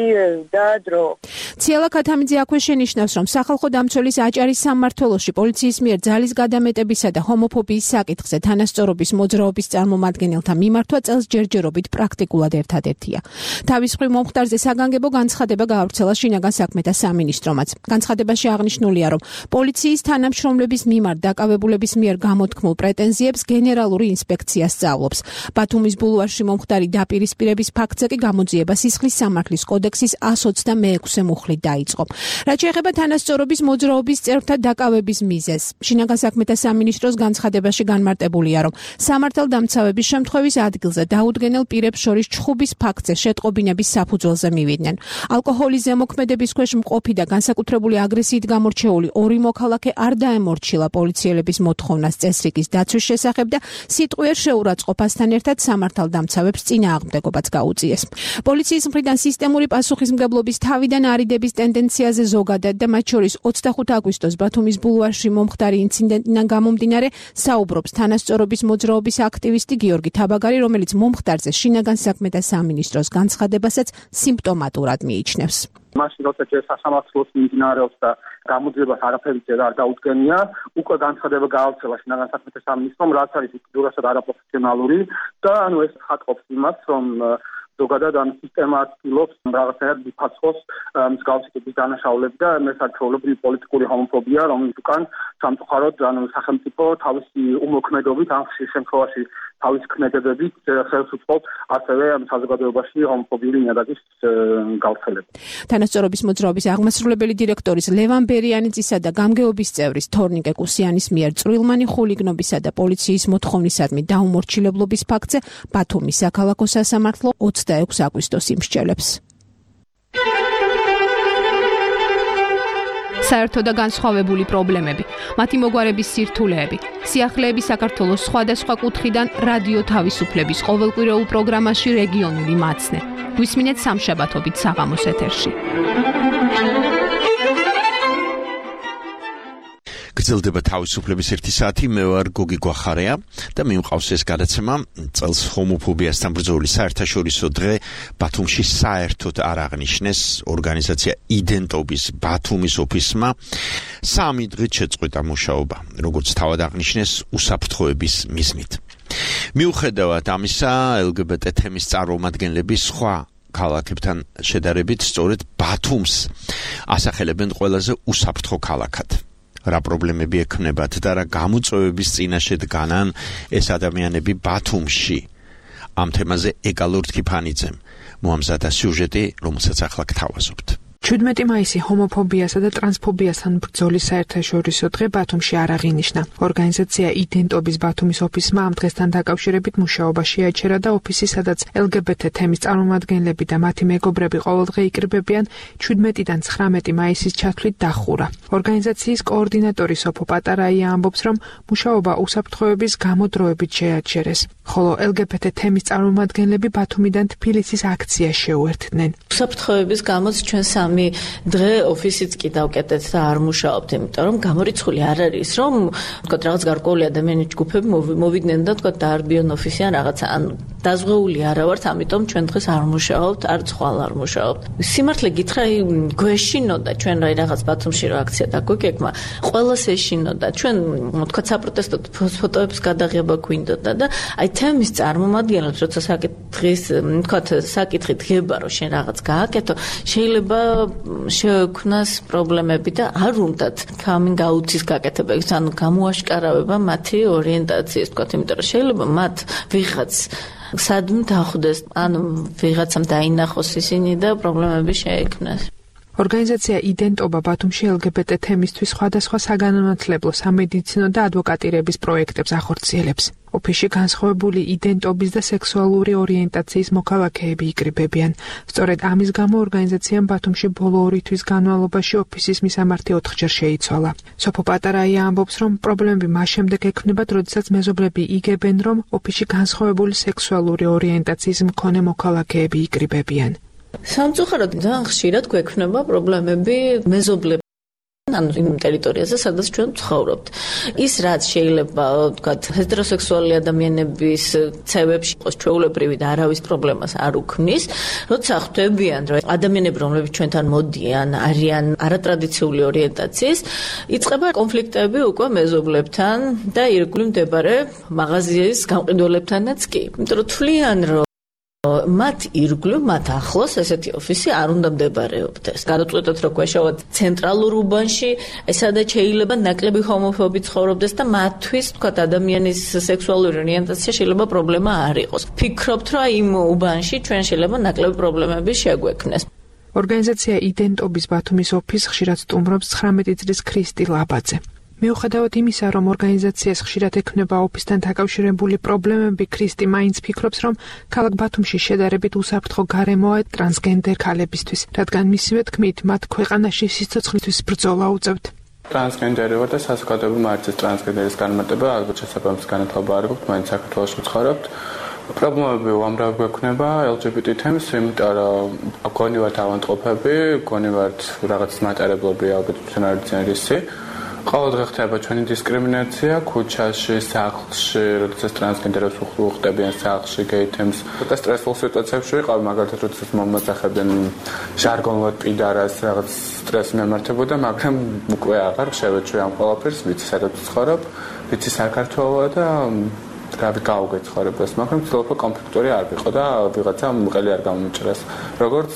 Speaker 11: და დრო.
Speaker 7: ციალა ქათამიძე აქვე შენიშნავს, რომ სახალხო დამცველის აჭარის სამმართველოში პოლიციის მიერ ძალის გადამეტებისა და ჰომოფობიის საკითხზე თანასწორობის მოძრაობის წარმომადგენელთა მიმართვა წელს ჯერჯერობით პრაქტიკულად ერთადერთია. თავის მხრივ მომხდარზე საგანგებო განცხადება გაავრცელა შინაგან საქმეთა სამინისტრომაც. განცხადებაში აღნიშნულია, რომ პოლიციის თანამშრომლების მიმართ დაკავებულების მიერ გამოთქმულ პრეტენზიებს გენერალური ინსპექცია სწავლობს. ბათუმის ბულვარში მომხდარი დაპირისპირების ფაქტზე კი გამოძიება სისხლის სამართლის კოდექსის ას ოცდამეექვსე მუხლით დაიწყო. რაც შეეხება თანასწორობის მოძრაობის წევრთა დაკავების მიზეზს, შინაგან საქმეთა სამინისტროს განცხადებაში განმარტებულია, რომ სამართალდამცავების შემთხვევის ადგილზე დაუდგენელ პირებს შორის ჩხუბის ფაქტზე შეტყობინების საფუძველზე მივიდნენ. ალკოჰოლის ზემოქმედების ქვეშ მყოფი და განსაკუთრებული აგრესიით გამორჩეული ორი მოქალაქე არ დაემორჩილა პოლიციელების მოთხოვნას წესრიგის დაცვის შესახებ და სიტყვიერ შეურაცხყოფასთან ერთად სამართალდამცავებს წინააღმდეგობაც გაუწიეს. პოლიციის მხრიდან სისტემური პასუხისმგებლობის თავიდან არიდების ტენდენციაზე ზოგადად და მათ შორის ოცდახუთი აგვისტოს ბათუმის ბულვარში მომხდარი ინციდენტიდან გამომდინარე საუბრობს თანასწორობის მოძრაობის აქტივისტი გიორგი თაბაგარი, რომელიც მომხდარზე შინაგან საქმეთა სამინისტროს განცხადებასაც სიმპტომატურად მიიჩნევს.
Speaker 12: მაშინ როცა ჯერ სასამართლოს მიმდინარეობს და გამოძიებას არაფერი ჯერ არ დაუდგენია, უკვე განცხადება გაავრცელა შინაგან საქმეთა სამინისტრომ, რაც არის უკიდურესად არაპროფესიონალური და ანუ ეს ხატყოფს იმას, რომ ზოგადად ამ სისტემა ცდილობს რაღაცნაირად მიფაცხოს მსგავსი ტიპის დანაშაულები და მესაქონლეობრივი პოლიტიკური ჰომოფობია, რომელიც უკან სამწუხაროდ ანუ სახელმწიფო თავისი უმოქმედობით ამ შემთხვევაში თავის ქმედებებით ხელს უწყობს ასევე საზოგადოებაში ჰომოფობიური ნიადაგის გავრცელებას.
Speaker 13: თანასწორობის მოძრაობის აღმასრულებელი დირექტორის ლევან ბერიანიძისა და გამგეობის წევრის თორნიკე კუსიანის მიერ წვრილმანი ხულიგნობისა და პოლიციის მოთხოვნისადმი დაუმორჩილებლობის ფაქტზე ბათუმის საქალაქო სასამართლო ოცდაექვსი აგვისტოს იმსჯელებს.
Speaker 14: საერთო და განსხვავებული პრობლემები, მათი მოგვარების სირთულეები, სიახლეები საქართველოს სხვადასხვა კუთხიდან რადიო თავისუფლების ყოველკვირეულ პროგრამაში რეგიონული მაცნე. გვისმინეთ სამშაბათობით საღამოს ეთერში.
Speaker 4: გრძელდება თავისუფლების ერთი საათი, მე ვარ გოგი გვახარია და მიმყავს ეს გადაცემა წელს ჰომოფობიასთან ბრძოლის საერთაშორისო დღე ბათუმში საერთოდ არ აღნიშნეს ორგანიზაცია იდენტობის ბათუმის ოფისმა სამი დღით შეწყვიტა მუშაობა, როგორც თავად აღნიშნეს უსაფრთხოების მიზნით. მიუხედავად ამისა, ელგბტ თემის წარმომადგენლები სხვა ქალაქებთან შედარებით სწორედ ბათუმს ასახელებენ ყველაზე უსაფრთხო ქალაქად. რა პრობლემები ექნებათ და რა გამოწვევების წინაშე დგანან ეს ადამიანები ბათუმში. ამ თემაზე ეკალურ თქიფანიძემ მოამზადა სიუჟეტი, რომელსაც ახლა გთავაზობთ.
Speaker 15: ჩვიდმეტი მაისი ჰომოფობიასა და ტრანსფობიასთან ბრძოლის საერთაშორისო დღე ბათუმში არ აღინიშნა. ორგანიზაცია იდენტობის ბათუმის ოფისმა ამ დღესთან დაკავშირებით მუშაობაში აჩერა და ოფისი, სადაც ელგბტ თემის წარმომადგენლები და მათი მეგობრები ყოველდღე იკრიბებიან, ჩვიდმეტიდან ცხრამეტი მაისის ჩათვლით დახურა. ორგანიზაციის კოორდინატორი სოფო პატარაია ამბობს, რომ მუშაობა უსაფრთხოების გამო დროებით შეაჩერეს, ხოლო ელგბტ თემის წარმომადგენლები ბათუმიდან თბილისის აქციას შეუერთდნენ.
Speaker 16: უსაფრთხოების გამოც ჩვენ სამი დღე ოფისიც კი დავკეტეთ და არ მუშაობთ, იმიტომ რომ გამორიცხული არ არის, რომ თქვათ რაღაც გარკვეული ადამიანის ჯგუფები მოვიდნენ და თქვათ დაარბიონ ოფისი ან რაღაცა, ანუ დაზღვეული არა ვართ, ამიტომ ჩვენ დღეს არ მუშაობთ, არც ხვალ არ მუშაობთ. სიმართლე გითხრა, გვეშინოდა ჩვენ რა რაღაც ბათუმში რა აქცია დაგვეკეკმა, ყველას ეშინოდა. ჩვენ თქვათ საპროტესტო ფოტოების გადაღება გვინდოდა და აი თემის წარმომადგენლებს, როცა საკითხის, თქვათ საკითხი დგება, რომ შენ რაღაც გააკეთო, შეიძლება შეექმნას პრობლემები და არ უნდათ coming out-ის გაკეთება, ანუ გამოაშკარავება მათი ორიენტაციის, თქვათ, იმიტომ რომ შეიძლება მათ ვიღაც სადმე დახვდეს, ანუ ვიღაცამ დაინახოს ისინი და პრობლემები შეექმნას.
Speaker 15: ორგანიზაცია იდენტობა ბათუმში ელგბტ თემისთვის სხვადასხვა საგანმანათლებლო, სამედიცინო და ადვოკატირების პროექტებს ახორციელებს. ოფისში განსხვავებული იდენტობის და სექსუალური ორიენტაციის მოქალაქეები იკრიბებიან. სწორედ ამის გამო ორგანიზაციამ ბათუმში ბოლო ორი თვის განმავლობაში ოფისის მისამართი ოთხჯერ შეიცვალა. სოფო პატარაია ამბობს, რომ პრობლემები მას შემდეგ ექმნებათ, როდესაც მეზობლები იგებენ, რომ ოფისში განსხვავებული სექსუალური ორიენტაციის მქონე მოქალაქეები იკრიბებიან.
Speaker 16: სამწუხაროდ ძალიან ხშირად გვექნება პრობლემები მეზობლებს ანუ იმ ტერიტორიაზე, სადაც ჩვენ ვცხოვრობთ. ის რაც შეიძლება, ვთქვათ, ჰეტეროსექსუალური ადამიანების ცევებში იყოს ჩვეულებრივი და არავის პრობლემას არ უქმნის, როცა ხვდებიან, რომ ადამიანები, რომლებიც ჩვენთან მოდიან, არიან არატრადიციული ორიენტაციის, იწყება კონფლიქტები უკვე მეზობლებთან და ირგვლივ მდებარე მაღაზიის გამყიდველებთანაც კი. იმიტომ რომ თვლიან, რომ მათ ირგვლივ, მათ ახლოს ესეთი ოფისი არ უნდა მდებარეობდეს. გადაწყვეტოთ, რომ გვეშავათ ცენტრალურ უბანში, ესადაც შეიძლება ნაკლები ჰომოფობი ცხოვრობდეს და მათთვის, თქვათ, ადამიანის სექსუალური ორიენტაცია შეიძლება პრობლემა არ იყოს. ფიქრობთ, რომ იმ უბანში ჩვენ შეიძლება ნაკლები პრობლემები შეგვექმნეს.
Speaker 15: ორგანიზაცია იდენტობის ბათუმის ოფისს ხშირად სტუმრობს ცხრამეტი წლის ქრისტი ლაბაძე. მიუხედავად იმისა, რომ ორგანიზაციას ხშირად ექმნება ოფისთან დაკავშირებული პრობლემები, ქრისტი მაინც ფიქრობს, რომ ქალაქ ბათუმში შედარებით უსაფრთხო გარემოა ტრანსგენდერ ქალებისთვის, რადგან მისივე თქმით, მათ ქვეყანაში სიცოცხლისთვის ბრძოლა უწევთ.
Speaker 17: ტრანსგენდერი ვარ და საზოგადოებრივ მარცის ტრანსგენდერის განმარტება ალბათ შესაბამის განათლება არ გვაქვს, მაინც საქართველოში ვცხოვრობთ. პრობლემები უამრავი გვექნება ელ ჯი ბი ტი თემის, იმიტომ რომ გონივართ ავანტყოფები, გონივართ რაღაც მატარებლები, ალბათ ჩვენ არ ვიციან რისი. ყოველდღე ხდება ჩვენი დისკრიმინაცია ქუჩაში, სახლში, როდესაც ტრანსგენდერებს უხდებიან სახლში, გეითემს. და სტრესულ სიტუაციებში ვიყავ, მაგალითად, როდესაც მომაწახებენ ჟარგონულად პიდარას, რაღაც სტრესი მემართებოდა, მაგრამ უკვე აღარ შევეჩვე ამ ყველაფერს, ვიცი სადაც ვცხოვრობ, ვიცი საქართველოა და რავი გავუგეთ ცხოვრებას, მაგრამ ცდილობ კონფლიქტური არ ვიყო და ვიღაცა მყელი არ გამომჭრას. როგორც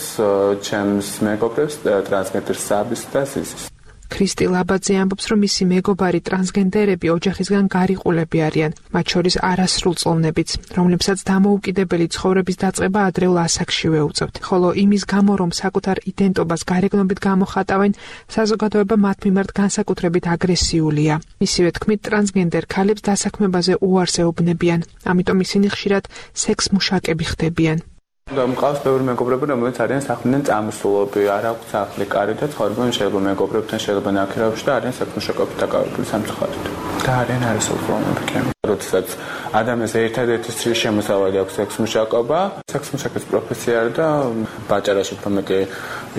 Speaker 17: ჩემს მეგობრებს ტრანსგენდერ საბის და ზიზის.
Speaker 15: ქრისტი ლაბაძე ამბობს, რომ მისი მეგობარი ტრანსგენდერები ოჯახისგან გარიყულები არიან, მათ შორის არასრულწლოვნებიც, რომლებსაც დამოუკიდებელი ცხოვრების დაწყება ადრეულ ასაკშივე უწევთ. ხოლო იმის გამო, რომ საკუთარ იდენტობას გარეგნობით გამოხატავენ, საზოგადოება მათ მიმართ განსაკუთრებით აგრესიულია. მისივე თქმით, ტრანსგენდერ ქალებს დასაქმებაზე უარს ეუბნებიან, ამიტომ ისინი ხშირად სექს მუშაკები ხდებიან.
Speaker 17: და მყავს ბევრი მეგობრები, რომელიც არიან საქმიდან წამოსულები, არ აქვს სახლი, კარი და ცხოვრობენ შეიძლება მეგობრებთან, შეიძლება ნაქირავში და არიან საქმეშაკობით დაკავებული სამწუხაროდ. და არიან არასრულწლოვნები კი. როდესაც ადამიანს ერთადერთი შემოსავალი აქვს სექსმუშაკობა, სექსმუშაკის პროფესია და ბაჭარაში უფრო მეტი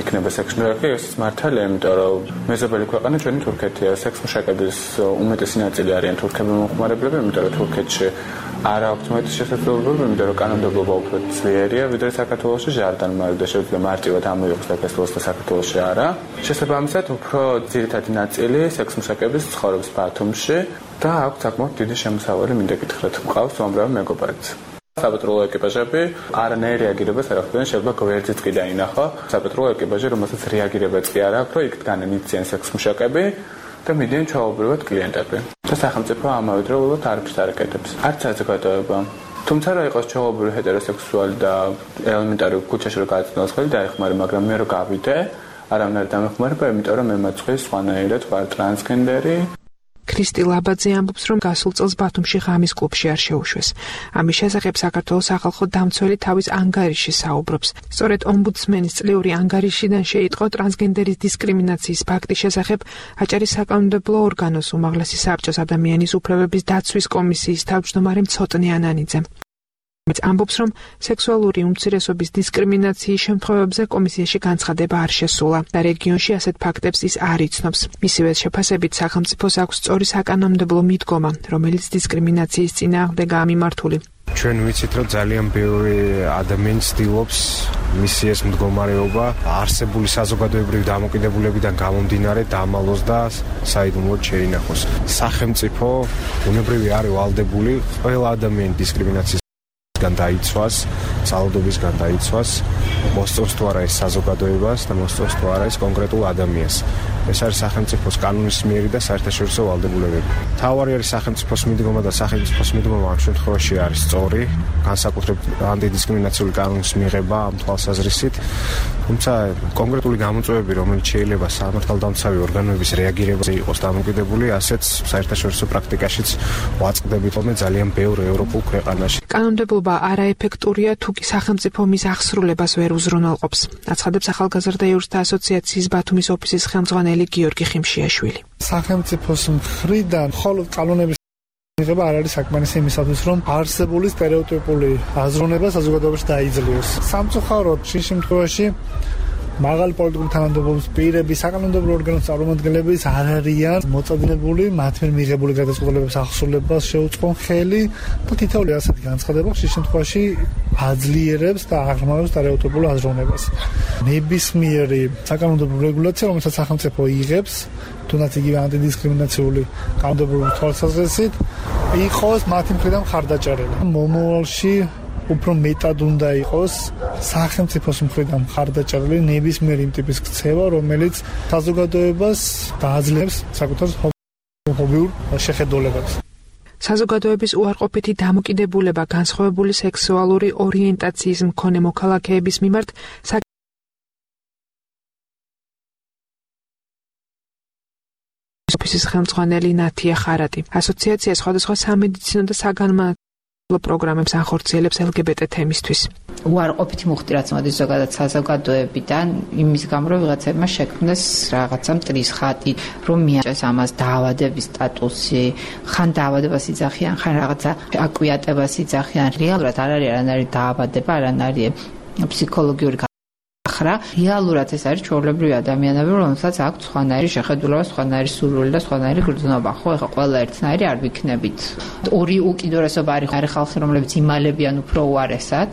Speaker 17: იქნება სექსმუშაკი, ეს მართალია, იმიტომ რომ მეზობელი ქვეყანა ჩვენი თურქეთია, სექსმუშაკების უმეტესი ნაწილი არიან თურქები მომხმარებლები, იმიტომ რომ თურქეთში არ აქვს მეტი შესაძლებლობა, იმიტომ რომ კანონმდებლობა უფრო ძლიერია, ვიდრე საქართველოში ჟარდანმალი და შეიძლება მარტივად ამოიღოს საქართველოს და საქართველოში არა. შესაბამისად, უფრო ძირითადი ნაწილი სექსმუშაკების ცხოვრობს ბათუმში და აქვს საკმაოდ დიდი შემოსავალი, მინდა გითხრათ, მყავს უამრავი მეგობარიც. საპატრულო ეკიპაჟები არანაირ რეაგირებას არ ახდენენ, შეიძლება გვერდზიც კი დაინახო. საპატრულო ეკიპაჟი, რომელსაც რეაგირებაც კი არ აქვს, რომ იქ დგანან იციან სექსმუშაკები და მიდიან ჩვეულებრივად კლიენტები. და სახელმწიფო ამავდროულად არაფერს არ აკეთებს. არც საზოგადოება. თუმცა რა იყოს ჩვეულებრივი ჰეტეროსექსუალი და ელემენტარი ქუჩაში რო გააცნოს ხელი დაეხმარე, მაგრამ მე რო გავიდე, არამედ დამეხმარება, იმიტომ რომ მე მაცხეს სხვანაირად ვარ ტრანსგენდერი.
Speaker 15: ქრისტი ლაბაძე ამბობს, რომ გასულ წელს ბათუმში ღამის კლუბში არ შეუშვეს. ამის შესახებ საქართველოს სახალხო დამცველი თავის ანგარიში საუბრობს. სწორედ ომბუდსმენის წლიური ანგარიშიდან შეიტყო ტრანსგენდერის დისკრიმინაციის ფაქტის შესახებ აჭარის საკანონმდებლო ორგანოს უმაღლესი საბჭოს ადამიანის უფლებების დაცვის კომისიის თავმჯდომარე მცოტნე ანანიძემ. მეც ამბობს, რომ სექსუალური უმცირესობის დისკრიმინაციის შემთხვევებზე კომისიაში განცხადება არ შესულა და რეგიონში ასეთ ფაქტებს ის არ იცნობს. მისივე შეფასებით სახელმწიფოს აქვს სწორი საკანონმდებლო მიდგომა, რომელიც დისკრიმინაციის წინააღმდეგაა მიმართული.
Speaker 18: ჩვენ ვიცით, რომ ძალიან ბევრი ადამიანი ცდილობს მისი ეს მდგომარეობა არსებული საზოგადოებრივი დამოკიდებულებიდან გამომდინარე დამალოს და საიდუმლოდ შეინახოს. სახელმწიფო უნებრივი არის ვალდებული ყველა ადამიანის დისკრიმინაციის დაიცვას, ძალადობისგან დაიცვას, მოსწონს თუ არა ეს საზოგადოებას და მოსწონს თუ არა ეს კონკრეტულ ადამიანს. ეს არის სახელმწიფოს კანონის მიერი და საერთაშორისო ვალდებულებები. თავარი არის სახელმწიფოს მიდგომა და სახელმწიფოს მიდგომა ამ შემთხვევაში არის სწორი, განსაკუთრებით ანტიდისკრიმინაციული კანონის მიღება ამ თვალსაზრისით. თუმცა კონკრეტული გამოწვევები, რომელიც შეიძლება სამართალდამცავი ორგანოების რეაგირებაზე იყოს დამოკიდებული, ასეც საერთაშორისო პრაქტიკაშიც ვაწყდებით ხოლმე ძალიან ბევრ ევროპულ ქვეყანაში.
Speaker 15: კანონმდებლობა არაეფექტურია, თუ კი სახელმწიფო მის აღსრულებას ვერ უზრუნველყოფს. აცხადებს ახალგაზრდა იურისტთა ასოციაციის ბათუმის ოფისის ხელმძღვანელი გიორგი ხიმშიაშვილი.
Speaker 19: სახელმწიფოს მხრიდან მხოლოდ კანონების მიღება არ არის საკმარისი იმისათვის, რომ არსებული სტერეოტიპული აზროვნება საზოგადოებაში დაიძლიოს. სამწუხაროდ, შინ შემთხვევაში მაღალი პოლიტიკური თანამდებობის პირები, საკანონმდებლო ორგანოს წარმომადგენლები არ არიან მოწადინებული მათ მიერ მიღებული გადაწყვეტილებების აღსრულებას შეუწყონ ხელი და თითოეული ასეთი განცხადება შინ შემთხვევაში აძლიერებს და აღრმავებს სტერეოტიპულ აზროვნებას. ნებისმიერი საკანონმდებლო რეგულაცია, რომელსაც სახელმწიფო იღებს, თუნდაც იგივე ანტიდისკრიმინაციული კანონმდებლობის თვალსაზრისით, იყოს მათი მხრიდან მხარდაჭერილი. მომავალში უფრო მეტად უნდა იყოს სახელმწიფოს მხრიდან მხარდაჭერილი ნებისმიერი იმ ტიპის ქცევა, რომელიც საზოგადოებას დააძლევს საკუთარ ჰომოფობიურ შეხედულებებს.
Speaker 15: საზოგადოების უარყოფითი დამოკიდებულება განსხვავებული სექსუალური ორიენტაციის მქონე მოქალაქეების მიმართ ოფისის ხელმძღვანელი ნათია ხარატი. ასოციაცია სხვადასხვა სამედიცინო და საგანმანათლებლო პროგრამებს ახორციელებს ელ გი ბე ტე თემისთვის.
Speaker 20: უარყოფითი მუხტი რაც მოდის ზოგადად საზოგადოებიდან, იმის გამო რომ ვიღაცებმა შექმნეს რაღაცა მტრის ხატი, რომ მიაჭეს ამას დაავადების სტატუსი, ხან დაავადებას იძახიან, ხან რაღაცა აკვიატებას იძახიან. რეალურად არ არის არანაირი დაავადება, არანაირი ფსიქოლოგიური ხრა, რეალურად ეს არის ჩვეულებრივი ადამიანები, რომელსაც აქვს სხვანაირი შეხედულება, სხვანაირი სურვილი და სხვანაირი გრძნობა. ხო, ეხლა ყველა ერთნაირი არ ვიქნებით. ორი უკიდურესობა არის ხალხი, რომლებიც იმალებიან უფრო უარესად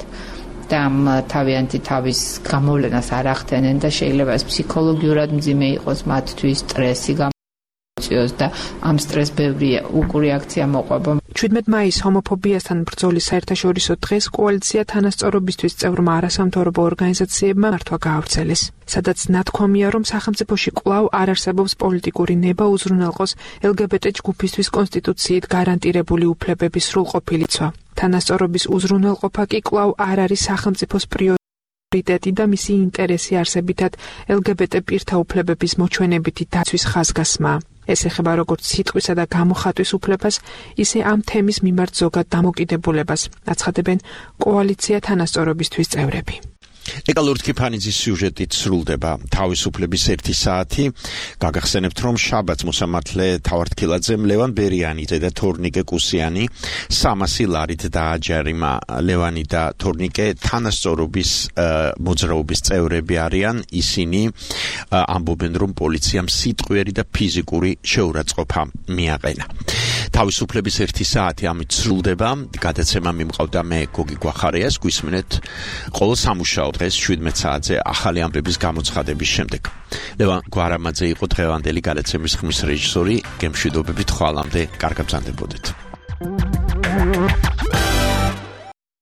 Speaker 20: და ამ თავიანთი თავის გამოვლენას არ ახდენენ და შეიძლება ეს ფსიქოლოგიურად მძიმე იყოს მათთვის, სტრესი გამოიწვიოს და ამ სტრესს ბევრი უკურეაქცია მოყვება.
Speaker 15: ჩვიდმეტ მაისს ჰომოფობიასთან ბრძოლის საერთაშორისო დღეს კოალიცია თანასწორობისთვის წევრმა არასამთავრობო ორგანიზაციებმა მართვა გაავრცელეს, სადაც ნათქვამია, რომ სახელმწიფოში კვლავ არ არსებობს პოლიტიკური ნება უზრუნველყოს ელ გი ბი ტი ჯგუფისთვის კონსტიტუციით გარანტირებული უფლებების სრულყოფილი ცვა. თანასწორობის უზრუნველყოფა კი კვლავ არ არის სახელმწიფოს პრიორიტეტი და მისი ინტერესი არსებითად ელ გი ბი ტი პირთა უფლებების მოჩვენებითი დაცვის ხაზგასმაა. ეს ეხება როგორც სიტყვისა და გამოხატვის უფლებას, ისე ამ თემის მიმართ ზოგად დამოკიდებულებას, აცხადებენ კოალიცია თანასწორობისთვის წევრები. ეკა ლურთქიფანიძის სიუჟეტით სრულდება თავისუფლების ერთი საათი. გაგახსენებთ, რომ შაბათს მოსამართლე თავართქილაძემ ლევან ბერიანიძე და თორნიკე კუსიანი სამასი ლარით დააჯერიმა. ლევანი და თორნიკე თანასწორობის მოძრაობის წევრები არიან. ისინი ამბობენ, რომ პოლიციამ სიტყვიერი და ფიზიკური შეურაცხყოფა მიაყენა. თავისუფლების ერთი საათი ამით სრულდება. გადაცემა მიმყავდა მე გოგი გვახარიას. გვისმენთ ყოველ სამუშაო დღეს შვიდმეტ საათზე ახალი ამბების გამოცხადების შემდეგ. ლევან გვარამაძე იყო დღევანდელი გადაცემის ხმის რეჟისორი. გემშვიდობებით ხვალამდე, კარგად ბრძანდებოდეთ.